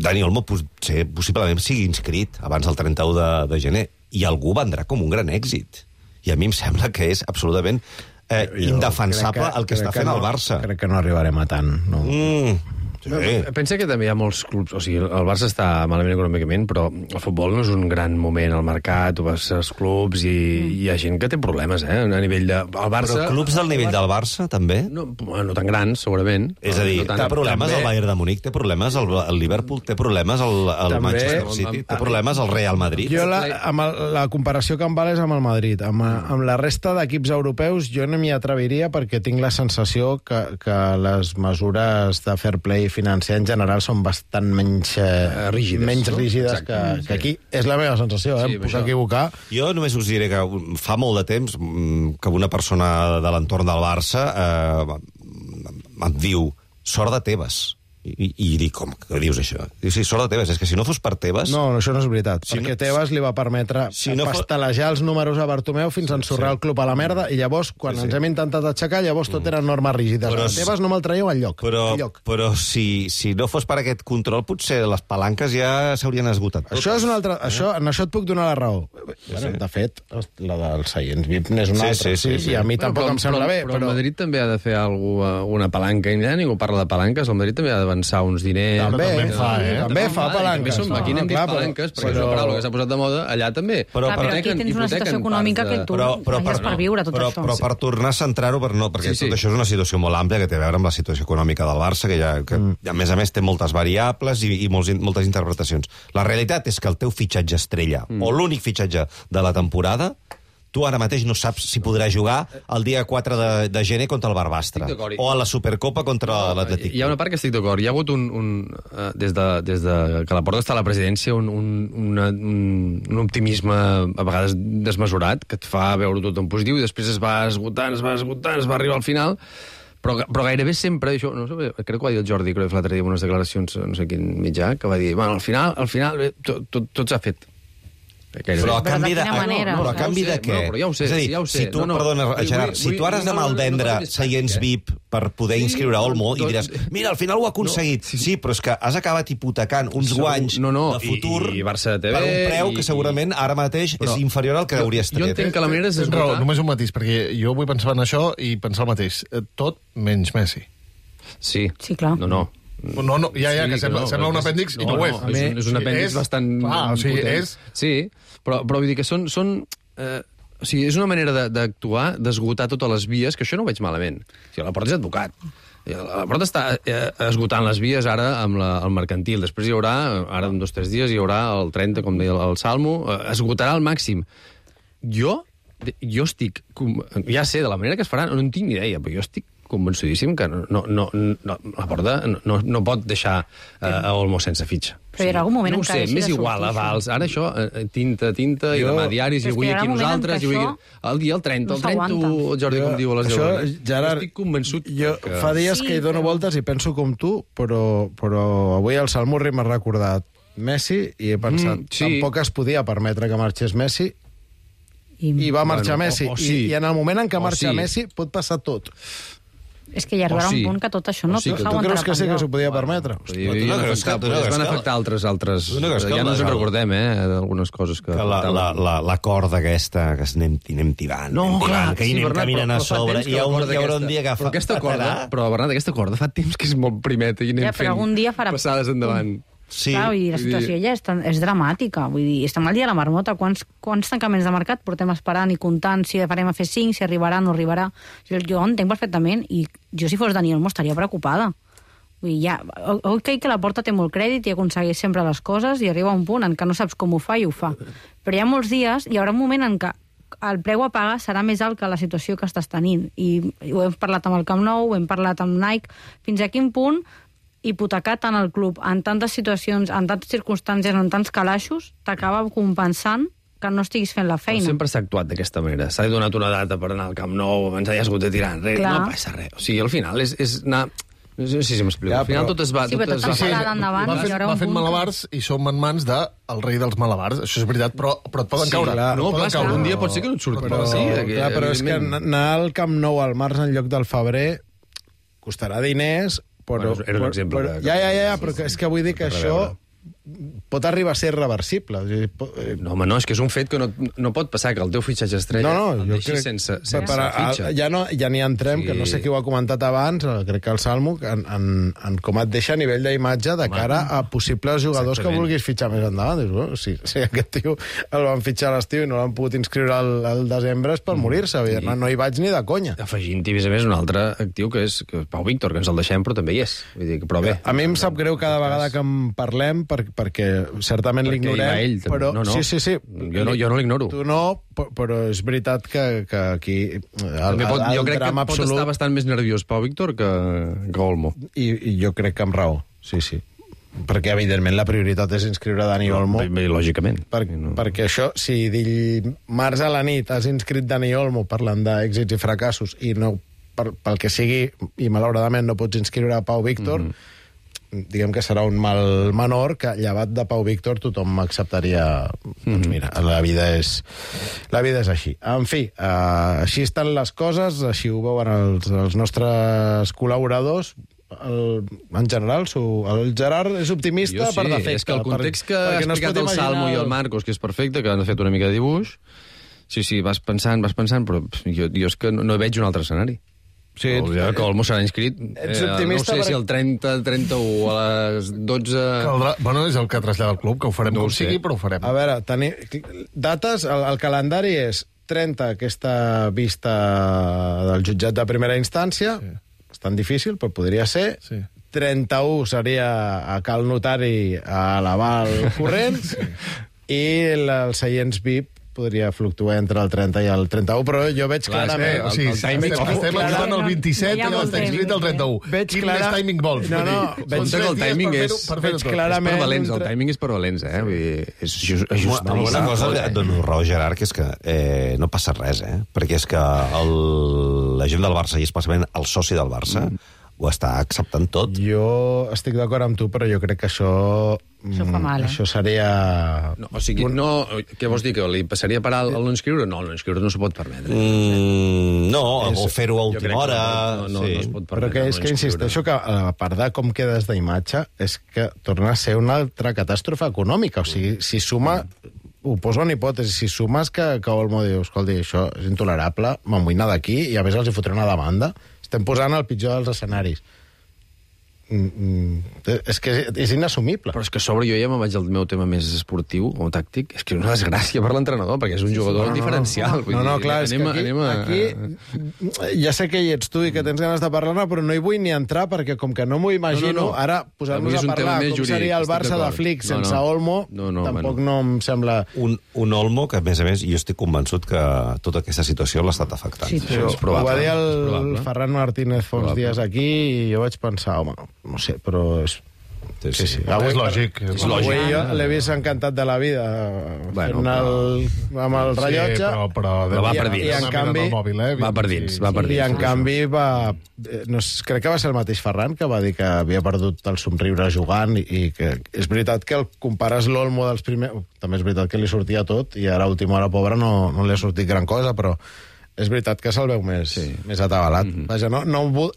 Dani Olmo potser, possiblement sigui inscrit abans del trenta-u de, de gener, i algú vendrà com un gran èxit. I a mi em sembla que és absolutament eh, indefensable que, el que està fent no, el Barça. Crec que no arribarem a tant. No. Mm. Sí. Pensa que també hi ha molts clubs... O sigui, el Barça està malament econòmicament, però el futbol no és un gran moment al mercat, tu vas als clubs i mm. hi ha gent que té problemes, eh? A nivell de... El Barça... Però clubs del nivell del Barça, també? No, no tan grans, segurament. És a dir, no té problemes també... el Bayern de Múnich, té problemes el, el Liverpool, té problemes el, el també... Manchester City, té problemes el Real Madrid. Jo la, amb el, la comparació que em val és amb el Madrid. Amb, amb la resta d'equips europeus jo no m'hi atreviria perquè tinc la sensació que, que les mesures de fair play financer en general són bastant menys, eh, rígides, menys no? rígides que, que aquí. És la meva sensació, eh? Sí, em puc això... equivocar. Jo només us diré que fa molt de temps que una persona de l'entorn del Barça eh, em diu sort de Tebas. I, i dic, com que dius això? Diu, sí, sort de Tebas, és que si no fos per Tebas... No, això no és veritat, si perquè no... Tebas li va permetre si no pastelejar fos... els números a Bartomeu fins a ensorrar sí. el club a la merda, i llavors, quan sí, sí. ens hem intentat aixecar, llavors tot eren normes rígides. Però, Tebas no me'l traieu al lloc. Però, lloc. però si, si no fos per aquest control, potser les palanques ja s'haurien esgotat. Això és una altra... Eh? Això, en això et puc donar la raó. Sí. Bueno, de fet, la dels seients V I P n'és una sí, altra. Sí, sí, sí, sí. I a mi tampoc però, em sembla però, bé. Però, però el Madrid també ha de fer alguna, una palanca, i ningú parla de palanques, el Madrid també ha d'avançar uns diners. També, també fa, eh? També fa palanques. Som, aquí n'hem dit palanques, perquè és una paraula que s'ha posat de moda, allà també. Però, però aquí tens una situació econòmica que tu vayas per viure tot però, això. Però per tornar a centrar-ho, per no, perquè sí, sí. tot això és una situació molt àmplia que té a veure amb la situació econòmica del Barça, que, ja, que mm. a més a més té moltes variables i, i molts, moltes interpretacions. La realitat és que el teu fitxatge estrella, mm. o l'únic fitxatge de la temporada, tu ara mateix no saps si podrà jugar el dia quatre de, de gener contra el Barbastre o a la Supercopa contra l'Atlètic. Hi ha una part que estic d'acord. Hi ha hagut un, un uh, des, de, des de que la Porta està a la presidència, un, un, una, un, un optimisme a vegades desmesurat, que et fa veure tot en positiu, i després es va esgotant, es va esgotant, es va arribar al final, però, però gairebé sempre, això, no sé, crec que ho va dir el Jordi Cruyff l'altre dia en unes declaracions, no sé quin mitjà, que va dir, bueno, al final, al final tot, tot, tot s'ha fet. Gairebé. Però a canvi de, de, no, no, però a canvi de què? No, ja ho sé, és a dir, ja ho sé. si tu, no, no. perdona, Gerard, vull, si tu ara has d'anar al vendre no, no, no seients V I P per poder sí, inscriure Olmo i diràs, mira, al final ho ha aconseguit. No, sí. sí, però és que has acabat hipotecant uns Segur, guanys no, no, de futur i, i Barça T V, per un preu i, que segurament ara mateix però, és inferior al que hauries tret. Jo entenc que la manera és esgotar... Només un matís, perquè jo vull pensar en això i pensar el mateix. Tot menys Messi. Sí. Sí, clar. No, no. No, no, ja, ja, sí, que sembla, no, sembla un apèndix no, i no ho és. No, és, és un apèndix és, bastant... Ah, o sigui, és... Sí, però, però vull dir que són... són eh, o sigui, és una manera d'actuar, d'esgotar totes les vies, que això no ho veig malament. O sigui, la Porta és advocat. La Porta està eh, esgotant les vies ara amb la, el mercantil. Després hi haurà, ara en dos o tres dies, hi haurà el trenta, com deia el Salmo, eh, esgotarà al màxim. Jo, jo estic... Ja sé, de la manera que es farà, no en tinc ni idea, però jo estic convençudíssim que no, no, no, no, la Porta no, no pot deixar uh, a Olmo sense fitxa. Però hi haurà algun moment no en què sé, hagi m'és de igual, sortir avals. Ara això, eh, tinta, tinta, jo... i demà diaris, i avui aquí nosaltres, i avui aquí... El dia, el trenta, el trenta, el Jordi, com diu a les deu. Això, Gerard, estic convençut jo que... fa dies sí, que hi dono però... voltes i penso com tu, però, però avui el Salmurri m'ha recordat Messi i he pensat, mm, sí. tampoc es podia permetre que marxés Messi i, i va marxar bueno, Messi. O, o sí. I, I en el moment en què o marxa sí. Messi pot passar tot. És que hi arribarà sí. un punt que tot això no sí, que s'aguantarà. Tu creus que sí que s'ho podia bueno, permetre? I, i, no creus que, es van afectar altres... altres no que ja no ens en recordem, eh, d'algunes coses que... que la, la, la, la corda aquesta, que anem, anem tibant, no, anem clar, tibant, que hi sí, anem Bernat, caminant però, a sobre, i hi, ha un, hi haurà un dia que però aquesta corda, però, Bernat, aquesta corda fa temps que és molt primeta i anem ja, però algun dia farà... fent passades endavant. Sí. Clar, i la situació ja és, és dramàtica. Vull dir, estem al dia de la marmota. Quants, quants tancaments de mercat portem esperant i comptant si farem a fer cinc, si arribarà o no arribarà. Jo, jo entenc perfectament, i jo si fos Dani Olmo estaria preocupada. Vull dir, ja, ok que la Porta té molt crèdit i aconsegueix sempre les coses i arriba un punt en què no saps com ho fa i ho fa. Però hi ha molts dies, hi haurà un moment en què el preu a pagar serà més alt que la situació que estàs tenint. I ho hem parlat amb el Camp Nou, ho hem parlat amb Nike, fins a quin punt hipotecar tant el club en tantes situacions, en tantes circumstàncies, en tants calaixos, t'acaba compensant que no estiguis fent la feina. Però sempre s'ha actuat d'aquesta manera. S'ha donat una data per anar al Camp Nou, abans ja has hagut de tirar enrere. Clar. No passa res. O sigui, al final és, és anar... No sé si m'explico. Ja, al final però... tot es va... Sí, tot però es tot va està fer... endavant, va i fent, hi haurà va un fent punt malabars i som en mans del rei dels malabars. Això és veritat, però, però et poden Sí, caure. clar. No, poden clar, caure. un dia pot ser que no et surti. Però, sí, clar, però és que anar al Camp Nou al març en lloc del febrer costarà diners, però... Bueno, era un exemple. Però, de... ja, ja, ja, però és que vull dir que això pot arribar a ser reversible. No, home, no, és que és un fet que no, no pot passar, que el teu fitxatge estrella no, no, el jo deixis crec, sense, sense per, per, fitxa. ja, no, ja n'hi entrem, Sí. que no sé qui ho ha comentat abans, crec que el Salmo, en, en, en com et deixa a nivell d'imatge de cara a possibles jugadors Exactament. que vulguis fitxar més endavant. Dius, bueno, si, si aquest tio el van fitxar a l'estiu i no l'han pogut inscriure al, al desembre és per mm. morir-se. Sí. No, no hi vaig ni de conya. Afegint-hi, a més, un altre actiu, que és que Pau Víctor, que ens el deixem, però també hi és. Vull dir, però bé. A mi em sap greu cada vegada que en parlem, per, perquè certament l'ignorem. Ell, però, no, no. Sí, sí, sí. Jo no, jo no l'ignoro. Tu no, però és veritat que, que aquí el, pot, el, jo crec que drama pot absolut... estar bastant més nerviós Pau Víctor que, que Olmo. I, I jo crec que amb raó, sí, sí. Perquè, evidentment, la prioritat és inscriure Dani Olmo. Bé, bé, lògicament. Per, no. Perquè això, si dimarts a la nit has inscrit Dani Olmo parlant d'èxits i fracassos i no, per, pel que sigui, i malauradament no pots inscriure a Pau Víctor, mm-hmm. diguem que serà un mal menor que, llevat de Pau Víctor, tothom acceptaria... Mm-hmm. Doncs mira, la vida és, la vida és així. En fi, uh, així estan les coses, així ho veuen els, els nostres col·laboradors. El, en general, su, el Gerard és optimista sí, per defecte. És que el context per, que ha no explicat el Salmo i el Marcos, que és perfecte, que han fet una mica de dibuix, sí, sí, vas pensant, vas pensant, però jo, jo és que no, no veig un altre escenari. Sí, ets, no, que Olmo serà inscrit, ets eh, no sé per... si el trenta, trenta-u, a les dotze... Caldrà... Bueno, és el que trasllada el club, que ho farem no com sé. sigui, però ho farem. A veure, teni... dates, el, el calendari és trenta, aquesta vista del jutjat de primera instància, sí. És tan difícil, però podria ser. Sí. trenta-u seria a cal notari a l'aval corrent, sí. I el, els seients V I P podria fluctuar entre el trenta i el trenta-u, però jo veig Clar, clarament... o sigui, estem, estem ajudant el vint-i-set i està inscrit el trenta-u. Veig Quin clara... més timing vols? No, no, veig que el timing és, veig clarament... és per valents, el timing és per valents, eh? Vull dir, és just, és just Una, una cosa que et dono raó, Gerard, que és que eh, no passa res, eh? Perquè és que el, la gent del Barça, i especialment el soci del Barça, mm. ho està acceptant tot. Jo estic d'acord amb tu, però jo crec que això... Això fa mal, eh? Això seria... No, o sigui, no, què vols dir, que li passaria per alt el no inscriure? No, el no inscriure no s'ho pot permetre. Mm, no, És- o fer-ho a Jo última crec que hora... no, no, sí. no es pot Però permetre. que és no que inscriure. insisteixo que, a part de com quedes d'imatge, és que torna a ser una altra catàstrofe econòmica. O sigui, si suma... Ho poso en hipòtesi. Si sumes que, que Olmo diu, escolta, això és intolerable, m'amoïna d'aquí, i a més els hi fotré una demanda, estem posant el pitjor dels escenaris. Mm, mm, és que és, és inassumible. Però és que a sobre jo ja me'n vaig al meu tema més esportiu o tàctic. És que és una desgràcia per l'entrenador, perquè és un jugador no, no, diferencial. Vull No, no, dir, clar, és que anem, aquí, anem a... aquí ja sé que hi ets tu i que tens ganes de parlar-ne, però no hi vull ni entrar, perquè com que no m'ho imagino, No, no, no. ara Avui posar-nos és a un tema parlar més com jurídic, seria el estic Barça de d'acord. Flick No, sense no. Olmo, No, no, tampoc bueno. no em sembla... Un, un Olmo que, a més a més, jo estic convençut que tota aquesta situació l'ha estat afectant. Sí, Sí, és probable. Ho va dir el és probable. Ferran Martínez fa uns Probable. dies aquí i jo vaig pensar, home, no sé, però... És... Sí, Sí, sí. És lògic. És Avui lògic. jo l'he vist encantat de la vida Bueno, fent el, amb el rellotge. Sí, però, però, Però va I- per i dins. en canvi- mòbil, eh? Va per dins, va per I dins. en canvi va... eh, No, sé, crec que va ser el mateix Ferran que va dir que havia perdut el somriure jugant i, i que és veritat que el compares l'Olmo dels primers... També és veritat que li sortia tot i ara a última hora, pobre, no, no li ha sortit gran cosa, però és veritat que se'l veu més, sí. més atabalat. Mm -hmm. Vaja, no, no, vol,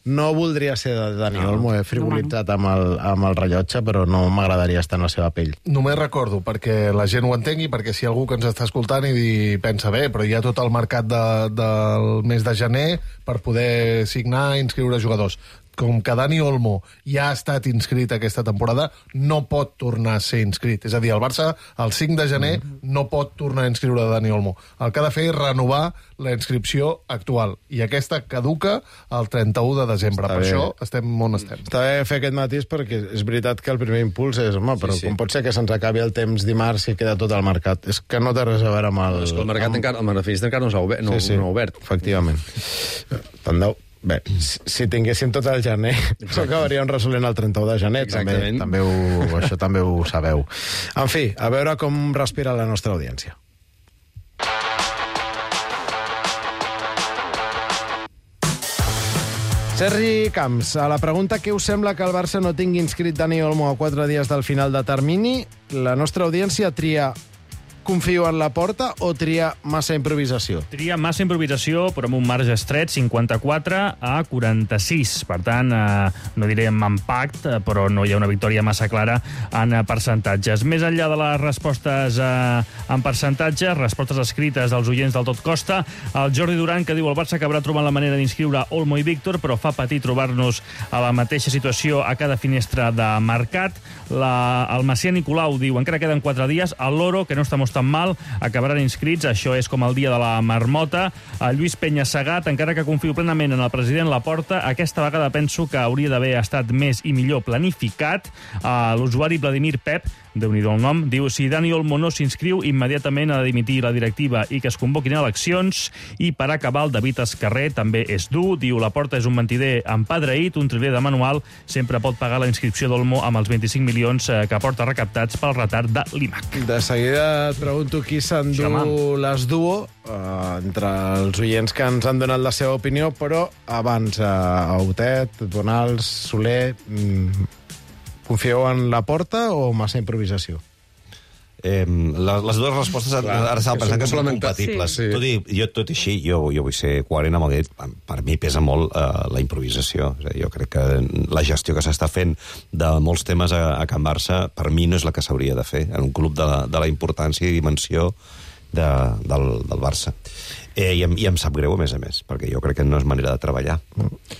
no voldria ser de Dani no. Olmo, he frivolitzat amb el, amb el rellotge, però no m'agradaria estar en la seva pell. Només recordo, perquè la gent ho entengui, perquè si algú que ens està escoltant i di, pensa, bé, però hi ha tot el mercat de, del mes de gener per poder signar i inscriure jugadors. Com que Dani Olmo ja ha estat inscrit aquesta temporada, no pot tornar a ser inscrit. És a dir, el Barça, el cinc de gener, no pot tornar a inscriure Dani Olmo. El que ha de fer és renovar la inscripció actual. I aquesta caduca el trenta-u de desembre. Està per bé. això estem on estem. Està bé fer aquest matís perquè és veritat que el primer impuls és, home, però Sí, sí. com pot ser que se'ns acabi el temps dimarts i queda tot al mercat? És que no té res a veure amb el... És que el mercat amb... encara, el Marafista encara no s'ha obert. No, sí, sí, no ha obert. efectivament. Tant de... Bé, si, si tinguéssim tot el gener, això acabaríem resolent el trenta-u de gener, també, Exactament. també ho, això també ho sabeu. En fi, a veure com respira la nostra audiència. Sergi Camps, a la pregunta què us sembla que el Barça no tingui inscrit Dani Olmo a quatre dies del final de termini, la nostra audiència tria confio en la porta o tria massa improvisació? Tria massa improvisació, però amb un marge estret, cinquanta-quatre a quaranta-sis. Per tant, eh, no diré amb empact, eh, però no hi ha una victòria massa clara en eh, percentatges. Més enllà de les respostes eh, en percentatges, respostes escrites dels oients del Tot Costa, el Jordi Duran, que diu el Barça acabarà trobant la manera d'inscriure Olmo i Víctor, però fa patir trobar-nos a la mateixa situació a cada finestra de mercat. La, el Macià Nicolau diu encara queden quatre dies, el Loro, que no estamos tan mal, acabaran inscrits, això és com el dia de la marmota. El Lluís Peña Segat, encara que confio plenament en el president Laporta, aquesta vegada penso que hauria d'haver estat més i millor planificat. Uh, L'usuari Vladimir Pep, déu-n'hi-do el nom, diu si Dani Olmo no s'inscriu, immediatament ha de dimitir la directiva i que es convoquin eleccions. I per acabar, el David Escarrer també és dur, diu Laporta és un mentider empadreït, un triler de manual, sempre pot pagar la inscripció d'Olmo amb els vint-i-cinc milions que porta recaptats pel retard de l'I M A C. De seguida et pregunto qui s'endú les duo eh, entre els oients que ens han donat la seva opinió, però abans eh, Autet, Bonals, Soler, mm, confieu en la porta o massa improvisació? Eh, les, les dues respostes Clar, ara estava pensant que són compatibles. Sí. Tot, i, jo, tot i així, jo, jo vull ser coherent amb el que he dit. Per mi pesa molt eh, la improvisació. És a dir, jo crec que la gestió que s'està fent de molts temes a, a Can Barça, per mi no és la que s'hauria de fer en un club de la, de la importància i dimensió de, del, del Barça. Eh, i, em, I em sap greu, a més a més, perquè jo crec que no és manera de treballar.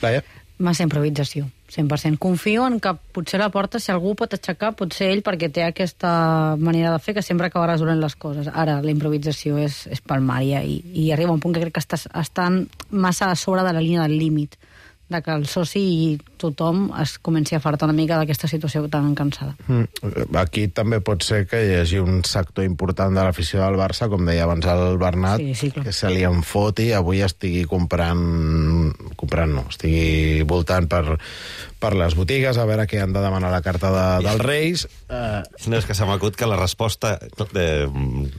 Laia? Massa improvisació, cent per cent. Confio en que potser la porta, si algú pot aixecar, potser ell, perquè té aquesta manera de fer que sempre acaba resolent les coses. Ara, la improvisació és, és palmària i, i arriba un punt que crec que estàs, estan massa a sobre de la línia del límit, de que el soci tothom es comenci a fartar una mica d'aquesta situació tan cansada. Mm. Aquí també pot ser que hi hagi un sector important de l'afició del Barça, com deia abans el Bernat, Sí, sí, clar. que se li enfoti, avui estigui comprant... comprant no, estigui voltant per, per les botigues a veure què han de demanar la carta de, dels Reis. Eh, No, és que se m'acut que la resposta eh,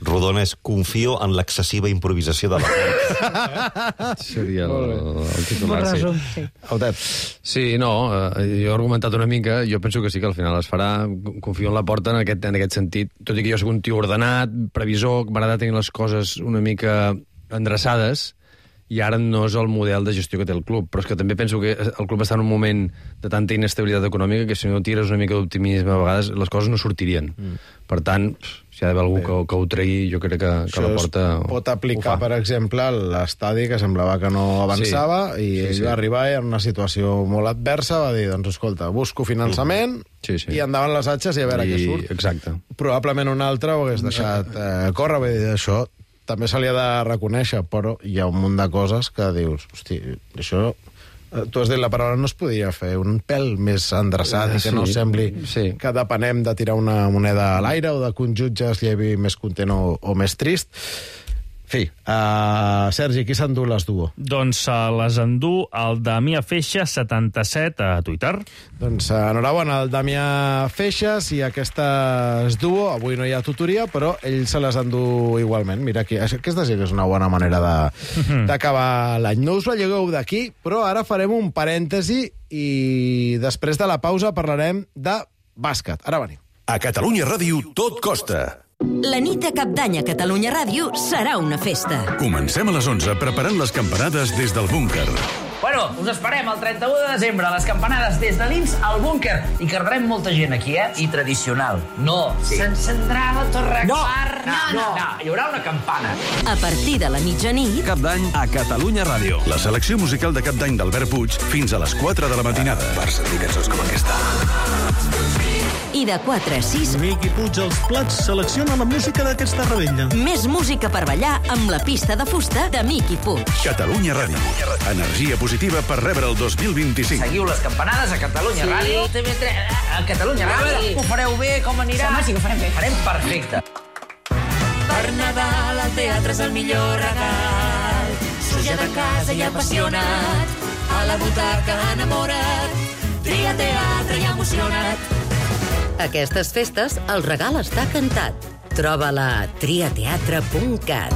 rodona és confio en l'excessiva improvisació de la Seria el, el titular, Bon sí. resum, sí. Autet. Sí, no, eh, jo he argumentat una mica, jo penso que sí que al final es farà, confio en la porta en aquest, en aquest sentit, tot i que jo soc un tio ordenat, previsor, que m'agrada tenir les coses una mica endreçades, i ara no és el model de gestió que té el club, però és que també penso que el club està en un moment de tanta inestabilitat econòmica que si no tires una mica d'optimisme a vegades les coses no sortirien. Mm. Per tant, si hi ha d'haver algú que, que ho tregui, jo crec que, que la porta pot aplicar, per exemple, a l'estadi, que semblava que no avançava, Sí. i Sí, ell sí. va arribar en una situació molt adversa, va dir, doncs escolta, busco finançament, Sí, sí. i endavant les atxes i a veure I, què surt. Exacte. Probablement un altre ho hagués deixat eh, córrer, vull dir, això també se li ha de reconèixer, però hi ha un munt de coses que dius, hosti, això... eh, Tu has dit la paraula, no es podia fer un pèl més endreçat i que Sí, no sembli sí. que depenem de tirar una moneda a l'aire o de que un jutge es llevi més content o, o més trist. Fi, uh, Sergi, qui s'endú les duo? Doncs uh, les endú el Damià Feixas, setanta-set, a Twitter. Doncs uh, enhorabona al Damià Feixas i aquesta es duo. Avui no hi ha tutoria, però ell se les endú igualment. Mira, aquí, aquesta sí que és una bona manera de- d'acabar l'any. No us la llegueu d'aquí, però ara farem un parèntesi i després de la pausa parlarem de bàsquet. Ara venim. A Catalunya Ràdio tot costa. La nit de Cap d'Any a Catalunya Ràdio serà una festa. Comencem a les onze preparant les campanades des del búnquer. Bueno, us esperem el trenta-u de desembre a les campanades des de dins al búnquer. I quedarem molta gent aquí, eh? I tradicional. No, sí. S'encendrà la torre No, Clar. no, no, no. Hi haurà una campana. A partir de la mitjanit... Cap d'Any a Catalunya Ràdio. La selecció musical de Cap d'Any d'Albert Puig fins a les quatre de la matinada. Per sentir cançons com aquesta. I de quatre a sis... Miqui Puig als plats selecciona la música d'aquesta rebella. Més música per ballar amb la pista de fusta de Miqui Puig. Catalunya Ràdio. Energia positiva per rebre el dos mil vint-i-cinc. Seguiu les campanades a Catalunya Sí. Ràdio. T V tres, a Catalunya Ràdio. Ho fareu bé, com anirà? Home, sí que ho farem bé. Farem perfecte. Per Nadal el teatre és el millor regal. Soja de casa i apassionat, a la butaca enamorat, tria teatre i emocionat. Aquestes festes el regal està cantat. Troba-la a triateatre punt cat.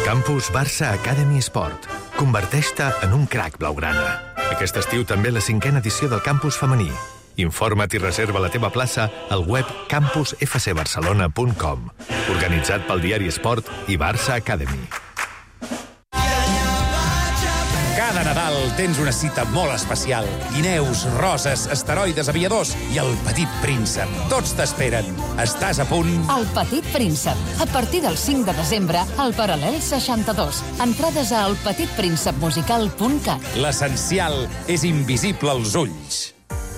Campus Barça Academy Sport. Converteix-te en un crac blaugrana. Aquest estiu també la cinquena edició del campus femení. Informa't i reserva la teva plaça al web campus f c barcelona punt com. Organitzat pel diari Esport i Barça Academy. Cada Nadal tens una cita molt especial. Guineus, roses, asteroides, aviadors i el Petit Príncep. Tots t'esperen. Estàs a punt? El Petit Príncep. A partir del cinc de desembre, al Paral·lel seixanta-dos. Entrades a el petit príncep musical punt cat. L'essencial és invisible als ulls.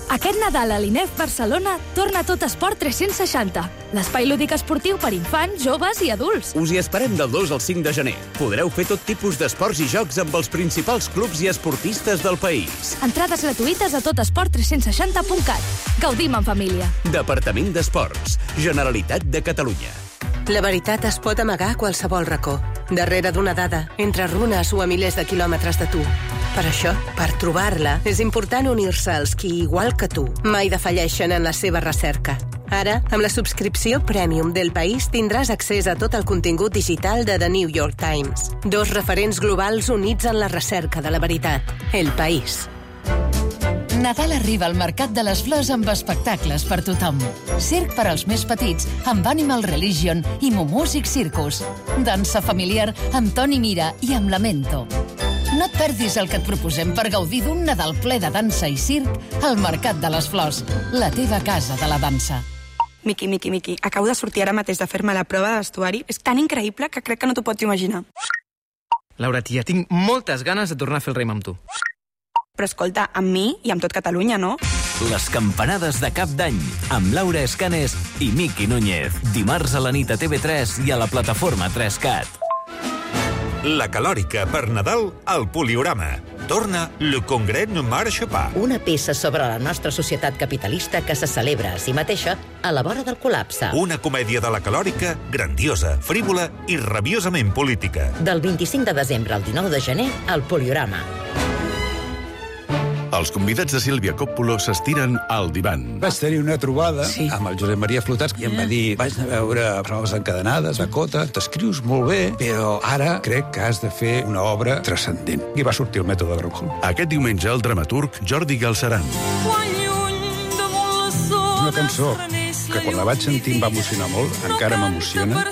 Aquest Nadal a l'I N E F Barcelona torna tot Esport tres-cents seixanta, l'espai lúdic esportiu per infants, joves i adults. Us hi esperem del dos al cinc de gener. Podreu fer tot tipus d'esports i jocs amb els principals clubs i esportistes del país. Entrades gratuïtes a tot esport tres-cents seixanta punt cat. Gaudim en família. Departament d'Esports. Generalitat de Catalunya. La veritat es pot amagar a qualsevol racó, darrere d'una dada, entre runes o a milers de quilòmetres de tu. Per això, per trobar-la, és important unir-se als qui, igual que tu, mai defalleixen en la seva recerca. Ara, amb la subscripció Premium del País, tindràs accés a tot el contingut digital de The New York Times. Dos referents globals units en la recerca de la veritat. El País. Nadal arriba al Mercat de les Flors amb espectacles per tothom. Circ per als més petits, amb Animal Religion i Mumúsic Circus. Dansa familiar amb Toni Mira i amb Lamento. No et perdis el que et proposem per gaudir d'un Nadal ple de dansa i circ al Mercat de les Flors, la teva casa de la dansa. Miqui, Miqui, Miqui, acabo de sortir ara mateix de fer-me la prova de vestuari. És tan increïble que crec que no t'ho pots imaginar. Laura, tia, tinc moltes ganes de tornar a fer el raim amb tu. Però escolta, amb mi i amb tot Catalunya, no? Les campanades de Cap d'Any, amb Laura Escanes i Miqui Núñez. Dimarts a la nit a T V tres i a la plataforma tres cat. La calòrica per Nadal al Poliorama. Torna Le Congrès ne marche pas. Una peça sobre la nostra societat capitalista que se celebra a si mateixa a la vora del col·lapse. Una comèdia de la calòrica, grandiosa, frívola i rabiosament política. Del vint-i-cinc de desembre al dinou de gener, al Poliorama. Els convidats de Sílvia Coppola s'estiren al divan. Vaig tenir una trobada sí. amb el Josep Maria Flotats i em va dir, vaig anar a veure proves encadenades, Dakota, t'escrius molt bé, però ara crec que has de fer una obra transcendent. I va sortir el mètode Granholm. Aquest diumenge el dramaturg Jordi Galceran. Una cançó que quan la vaig sentir em va emocionar molt, encara m'emociona.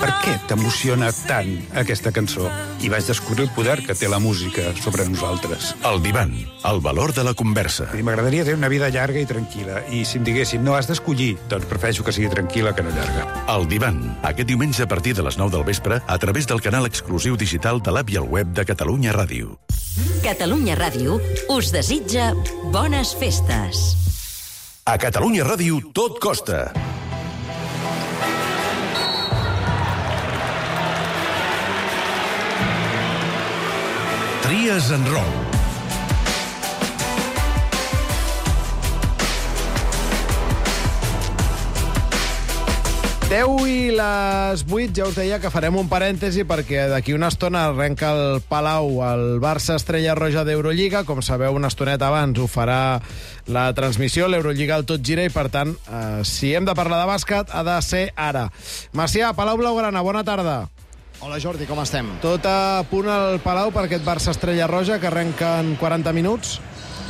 Per què t'emociona tant aquesta cançó? I vaig descobrir el poder que té la música sobre nosaltres. El divan, el valor de la conversa. M'agradaria tenir una vida llarga i tranquil·la, i si em diguessin no has d'escollir, doncs prefereixo que sigui tranquil·la que no llarga. El divan, aquest diumenge a partir de les nou del vespre, a través del canal exclusiu digital de l'app i el web de Catalunya Ràdio. Catalunya Ràdio us desitja bones festes. A Catalunya Ràdio tot costa. Tries en Roll. deu i les vuit, ja us deia que farem un parèntesi perquè d'aquí una estona arrenca el Palau el Barça Estrella Roja d'Eurolliga. Com sabeu, una estoneta abans ho farà la transmissió, l'Eurolliga al Tot Gira, i per tant, eh, si hem de parlar de bàsquet, ha de ser ara. Macià, Palau Blaugrana, bona tarda. Hola Jordi, com estem? Tot a punt al Palau per aquest Barça Estrella Roja que arrenca en quaranta minuts?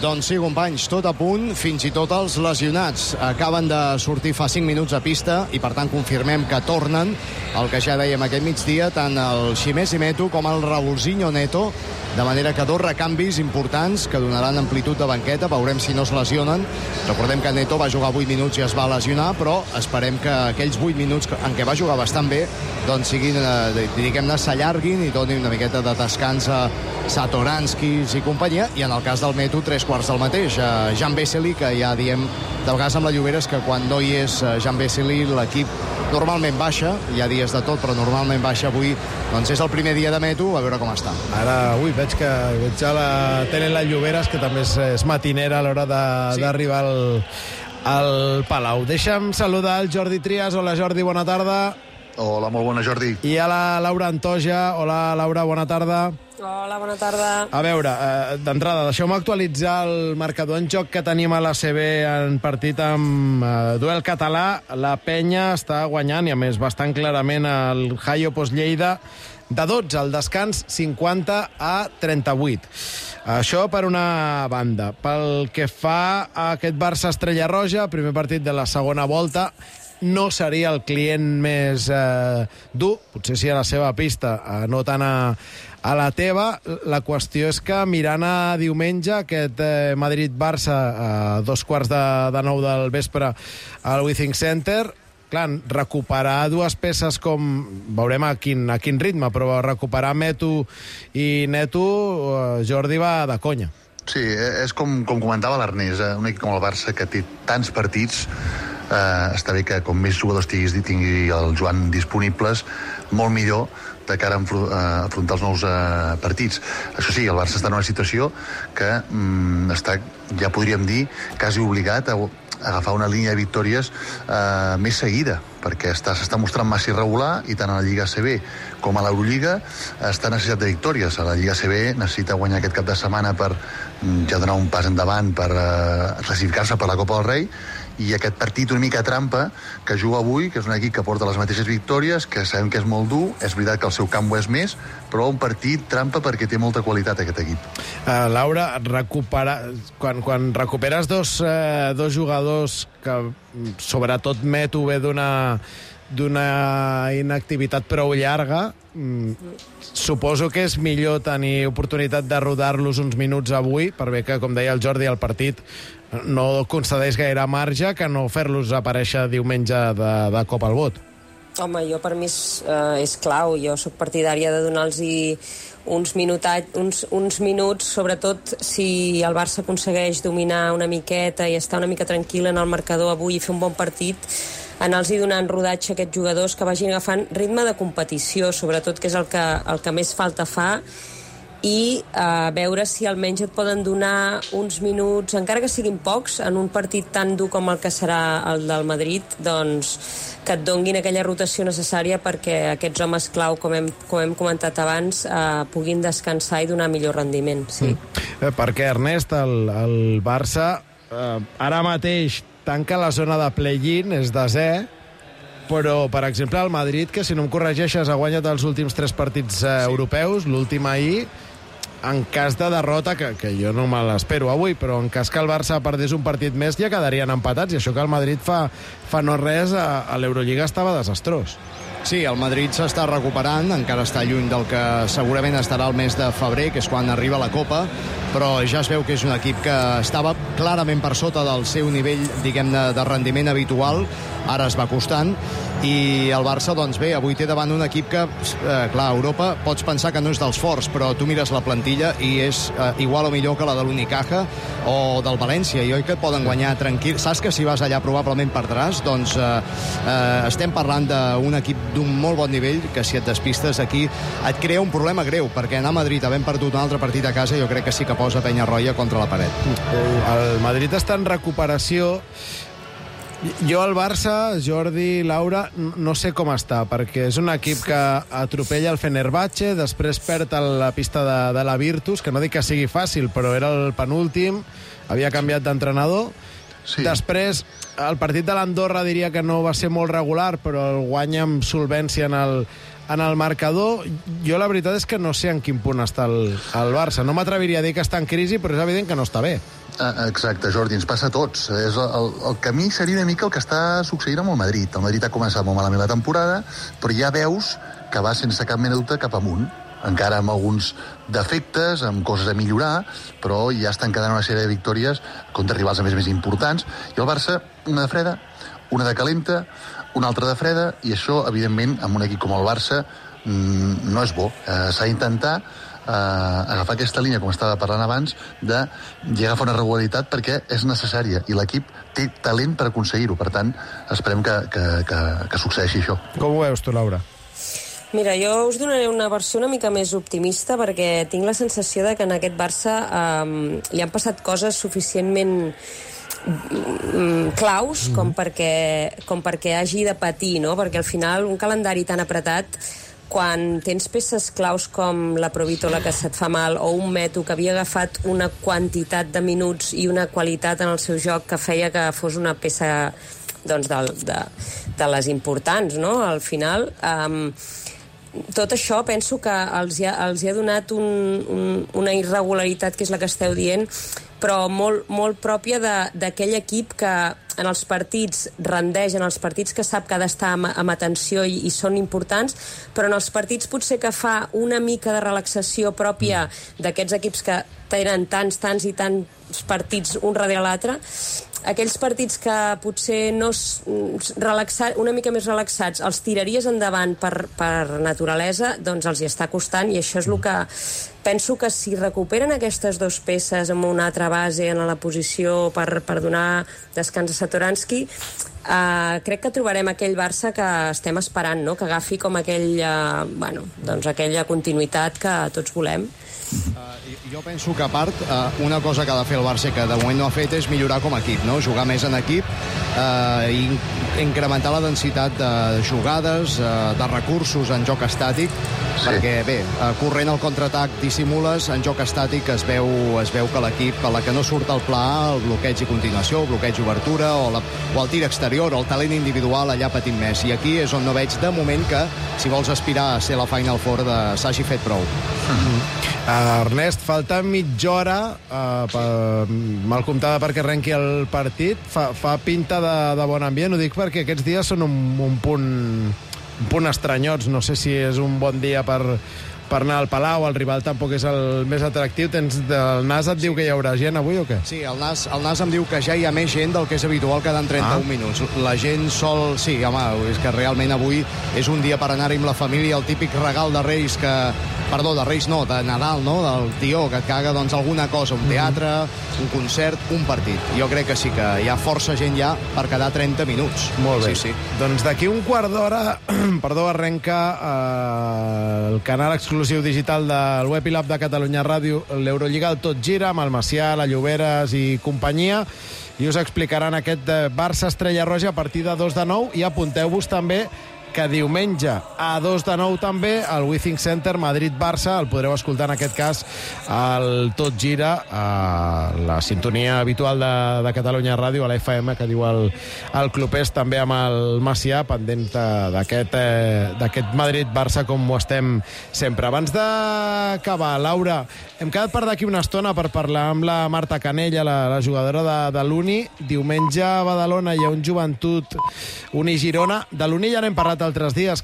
Doncs sí, companys, tot a punt, fins i tot els lesionats acaben de sortir fa cinc minuts a pista i per tant confirmem que tornen el que ja dèiem aquest migdia, tant el Ximès Imeto com el Raulzinho Neto, de manera que dos recanvis importants que donaran amplitud de banqueta, veurem si no es lesionen. Recordem que Neto va jugar vuit minuts i es va lesionar, però esperem que aquells vuit minuts en què va jugar bastant bé doncs siguin, eh, diguem-ne, s'allarguin i donin una miqueta de descans a Satoranskis i companyia, i en el cas del Meto, tres quarts del mateix. Uh, Jan Vesely, que ja diem de vegades amb la Llobera, és que quan no hi és uh, Jan Vesely, l'equip normalment baixa, hi ha dies de tot, però normalment baixa. Avui doncs és el primer dia de Meto, a veure com està. Ara, ui, veig que veig a la tele la Lloberes, que també és, és matinera a l'hora d'arribar sí. al, al Palau. Deixa'm saludar el Jordi Trias. Hola, Jordi, bona tarda. Hola, molt bona, Jordi. I a la Laura Antoja. Hola, Laura, bona tarda. Hola, bona tarda. A veure, eh, d'entrada, deixeu-me actualitzar el marcador en joc que tenim a l'A C B en partit amb eh, duel català. La Penya està guanyant, i a més bastant clarament, el Jaio Post Lleida de dotze, al descans cinquanta a trenta-vuit. Això per una banda. Pel que fa a aquest Barça Estrella Roja, primer partit de la segona volta, no seria el client més eh, dur, potser sí a la seva pista, eh, no tant a, a la teva. La qüestió és que mirant a diumenge, aquest eh, Madrid-Barça a eh, dos quarts de, de nou del vespre al Withings Center, clar, recuperar dues peces com... Veurem a quin, a quin ritme, però recuperar Meto i Neto, eh, Jordi, va de conya. Sí, és com, com comentava l'Ernest, eh? Un equip com el Barça que té tants partits, eh, està bé que com més jugadors tinguis, tingui el Joan disponibles, molt millor de cara a afrontar els nous eh, partits. Això sí, el Barça està en una situació que mm, està, ja podríem dir, quasi obligat a agafar una línia de victòries eh, més seguida, perquè s'està mostrant massa irregular, i tant a la Lliga A C B com a l'Eurolliga està necessitat de victòries. A la Lliga A C B necessita guanyar aquest cap de setmana per ja donar un pas endavant per eh, classificar-se per la Copa del Rei, i aquest partit una mica trampa que juga avui, que és un equip que porta les mateixes victòries, que sabem que és molt dur, és veritat que el seu camp ho és més, però un partit trampa perquè té molta qualitat aquest equip. Uh, Laura, recupera... quan, quan recuperes dos, uh, dos jugadors que sobretot Meto ve d'una d'una inactivitat prou llarga, mm, suposo que és millor tenir oportunitat de rodar-los uns minuts avui, per bé que, com deia el Jordi, el partit no concedeix gaire marge, que no fer-los aparèixer diumenge de, de cop al vot. Home, jo per mi és, eh, és clau. Jo sóc partidària de donar-los uns, uns, uns minuts, sobretot si el Barça aconsegueix dominar una miqueta i estar una mica tranquil en el marcador avui i fer un bon partit, anar-los donant rodatge a aquests jugadors, que vagin agafant ritme de competició, sobretot, que és el que, el que més falta fa. i uh, veure si almenys et poden donar uns minuts, encara que siguin pocs, en un partit tan dur com el que serà el del Madrid, doncs que et donguin aquella rotació necessària perquè aquests homes clau, com hem, com hem comentat abans, uh, puguin descansar i donar millor rendiment. Sí. Mm. Perquè, Ernest, el, el Barça uh, ara mateix tanca la zona de play-in, és desè, però, per exemple, el Madrid, que si no em corregeixes ha guanyat els últims tres partits eh, europeus, l'últim ahir, en cas de derrota, que, que jo no me l'espero avui, però en cas que el Barça perdés un partit més ja quedarien empatats, i això que el Madrid fa, fa no res a, a l'Eurolliga estava desastrós. Sí, el Madrid s'està recuperant, encara està lluny del que segurament estarà el mes de febrer, que és quan arriba la Copa, però ja es veu que és un equip que estava clarament per sota del seu nivell, diguem-ne, de rendiment habitual, ara es va costant, i el Barça, doncs bé, avui té davant un equip que, eh, clar, a Europa pots pensar que no és dels forts, però tu mires la plantilla i és eh, igual o millor que la de l'Unicaja o del València, i oi que et poden guanyar tranquil. Saps que si vas allà probablement perdràs? Doncs eh, eh, estem parlant d'un equip d'un molt bon nivell, que si et despistes aquí et crea un problema greu, perquè anar a Madrid havent perdut un altre partit a casa jo crec que sí que posa Penyarroia contra la paret. El Madrid està en recuperació. Jo al Barça, Jordi, Laura, no sé com està, perquè és un equip que atropella el Fenerbahce, després perd a la pista de, de la Virtus, que no dic que sigui fàcil, però era el penúltim, havia canviat d'entrenador. Sí. Després, el partit de l'Andorra diria que no va ser molt regular, però el guanya amb solvència en el, en el marcador. Jo la veritat és que no sé en quin punt està el, el Barça. No m'atreviria a dir que està en crisi, però és evident que no està bé. Exacte, Jordi, ens passa a tots. És el, el camí seria una mica el que està succeint amb el Madrid. El Madrid ha començat molt malament la temporada, però ja veus que va sense cap mena de dubte cap amunt, encara amb alguns defectes, amb coses a millorar, però ja estan quedant una sèrie de victòries contra rivals a més més importants. I el Barça, una de freda, una de calenta, una altra de freda, i això, evidentment, amb un equip com el Barça, mmm, no és bo. Eh, s'ha d'intentar Uh, agafar aquesta línia, com estava parlant abans, de llegar a fer una regularitat perquè és necessària i l'equip té talent per aconseguir-ho. Per tant, esperem que, que, que, que succeeixi això. Com ho veus tu, Laura? Mira, jo us donaré una versió una mica més optimista perquè tinc la sensació de que en aquest Barça um, li han passat coses suficientment claus mm. com, perquè, com perquè hagi de patir, no? Perquè al final un calendari tan apretat, quan tens peces claus com la Provitola que se't fa mal o un Meto que havia agafat una quantitat de minuts i una qualitat en el seu joc que feia que fos una peça doncs, de, de, de les importants, no? Al final, um, tot això penso que els ha, els ha donat un, un, una irregularitat, que és la que esteu dient, però molt, molt pròpia d'aquell equip que en els partits rendeix, en els partits que sap que ha d'estar amb, amb atenció i, i són importants, però en els partits potser que fa una mica de relaxació pròpia d'aquests equips que tenen tants, tants i tants partits un darrere l'altre, aquells partits que potser no relaxar, una mica més relaxats els tiraries endavant per, per naturalesa, doncs els hi està costant, i això és el que penso que si recuperen aquestes dues peces amb una altra base en la posició per, per donar descans a Satoransky, uh, crec que trobarem aquell Barça que estem esperant, no? Que agafi com aquell, uh, bueno, doncs aquella continuïtat que tots volem. Uh, jo penso que a part uh, una cosa que ha de fer el Barça que de moment no ha fet és millorar com a equip, no? Jugar més en equip uh, i incrementar la densitat de jugades, uh, de recursos en joc estàtic, sí. Perquè bé, uh, corrent el contraatac dissimules, en joc estàtic es veu, es veu que l'equip, a la que no surt el pla, el bloqueig i continuació, el bloqueig i obertura o, la, o el tir exterior o el talent individual allà patim més, i aquí és on no veig de moment que si vols aspirar a ser la Final Four de s'hagi fet prou. Mm-hmm. Uh, Ernest, falta mitja hora uh, per, mal comptada perquè arrenqui el partit. Fa, fa pinta de, de bon ambient, ho dic perquè aquests dies són un, un punt un punt estranyots. No sé si és un bon dia per, per anar al Palau, el rival tampoc és el més atractiu. Tens, el Nas et diu que hi haurà gent avui o què? Sí, el Nas, el Nas em diu que ja hi ha més gent del que és habitual quedant trenta-un ah. minuts. La gent sol... Sí, home, és que realment avui és un dia per anar-hi amb la família, el típic regal de Reis que... Perdó, de Reis no, de Nadal, no? Del tió, que et caga doncs, alguna cosa, un teatre, un concert, un partit. Jo crec que sí que hi ha força gent ja per quedar trenta minuts. Molt bé. Sí, sí. Doncs d'aquí un quart d'hora, perdó, arrenca eh, el canal exclusiu exclusiu digital del web i l'app de Catalunya Ràdio, l'Eurolliga al Tot Gira, amb el Macià, la Lloberes i companyia, i us explicaran aquest Barça Estrella Roja a partir de dos de nou, i apunteu-vos també que diumenge a dos de nou també el Withings Center Madrid-Barça, el podreu escoltar en aquest cas al Tot Gira, a la sintonia habitual de, de Catalunya Ràdio, a la F M, que diu el, el Clubers, també amb el Macià, pendent d'aquest eh, d'aquest Madrid-Barça, com ho estem sempre. Abans d'acabar, Laura, hem quedat per d'aquí una estona per parlar amb la Marta Canella, la, la jugadora de, de l'Uni. Diumenge a Badalona hi ha un Joventut Uni Girona. De l'Uni ja n'hem parlat altres dies, que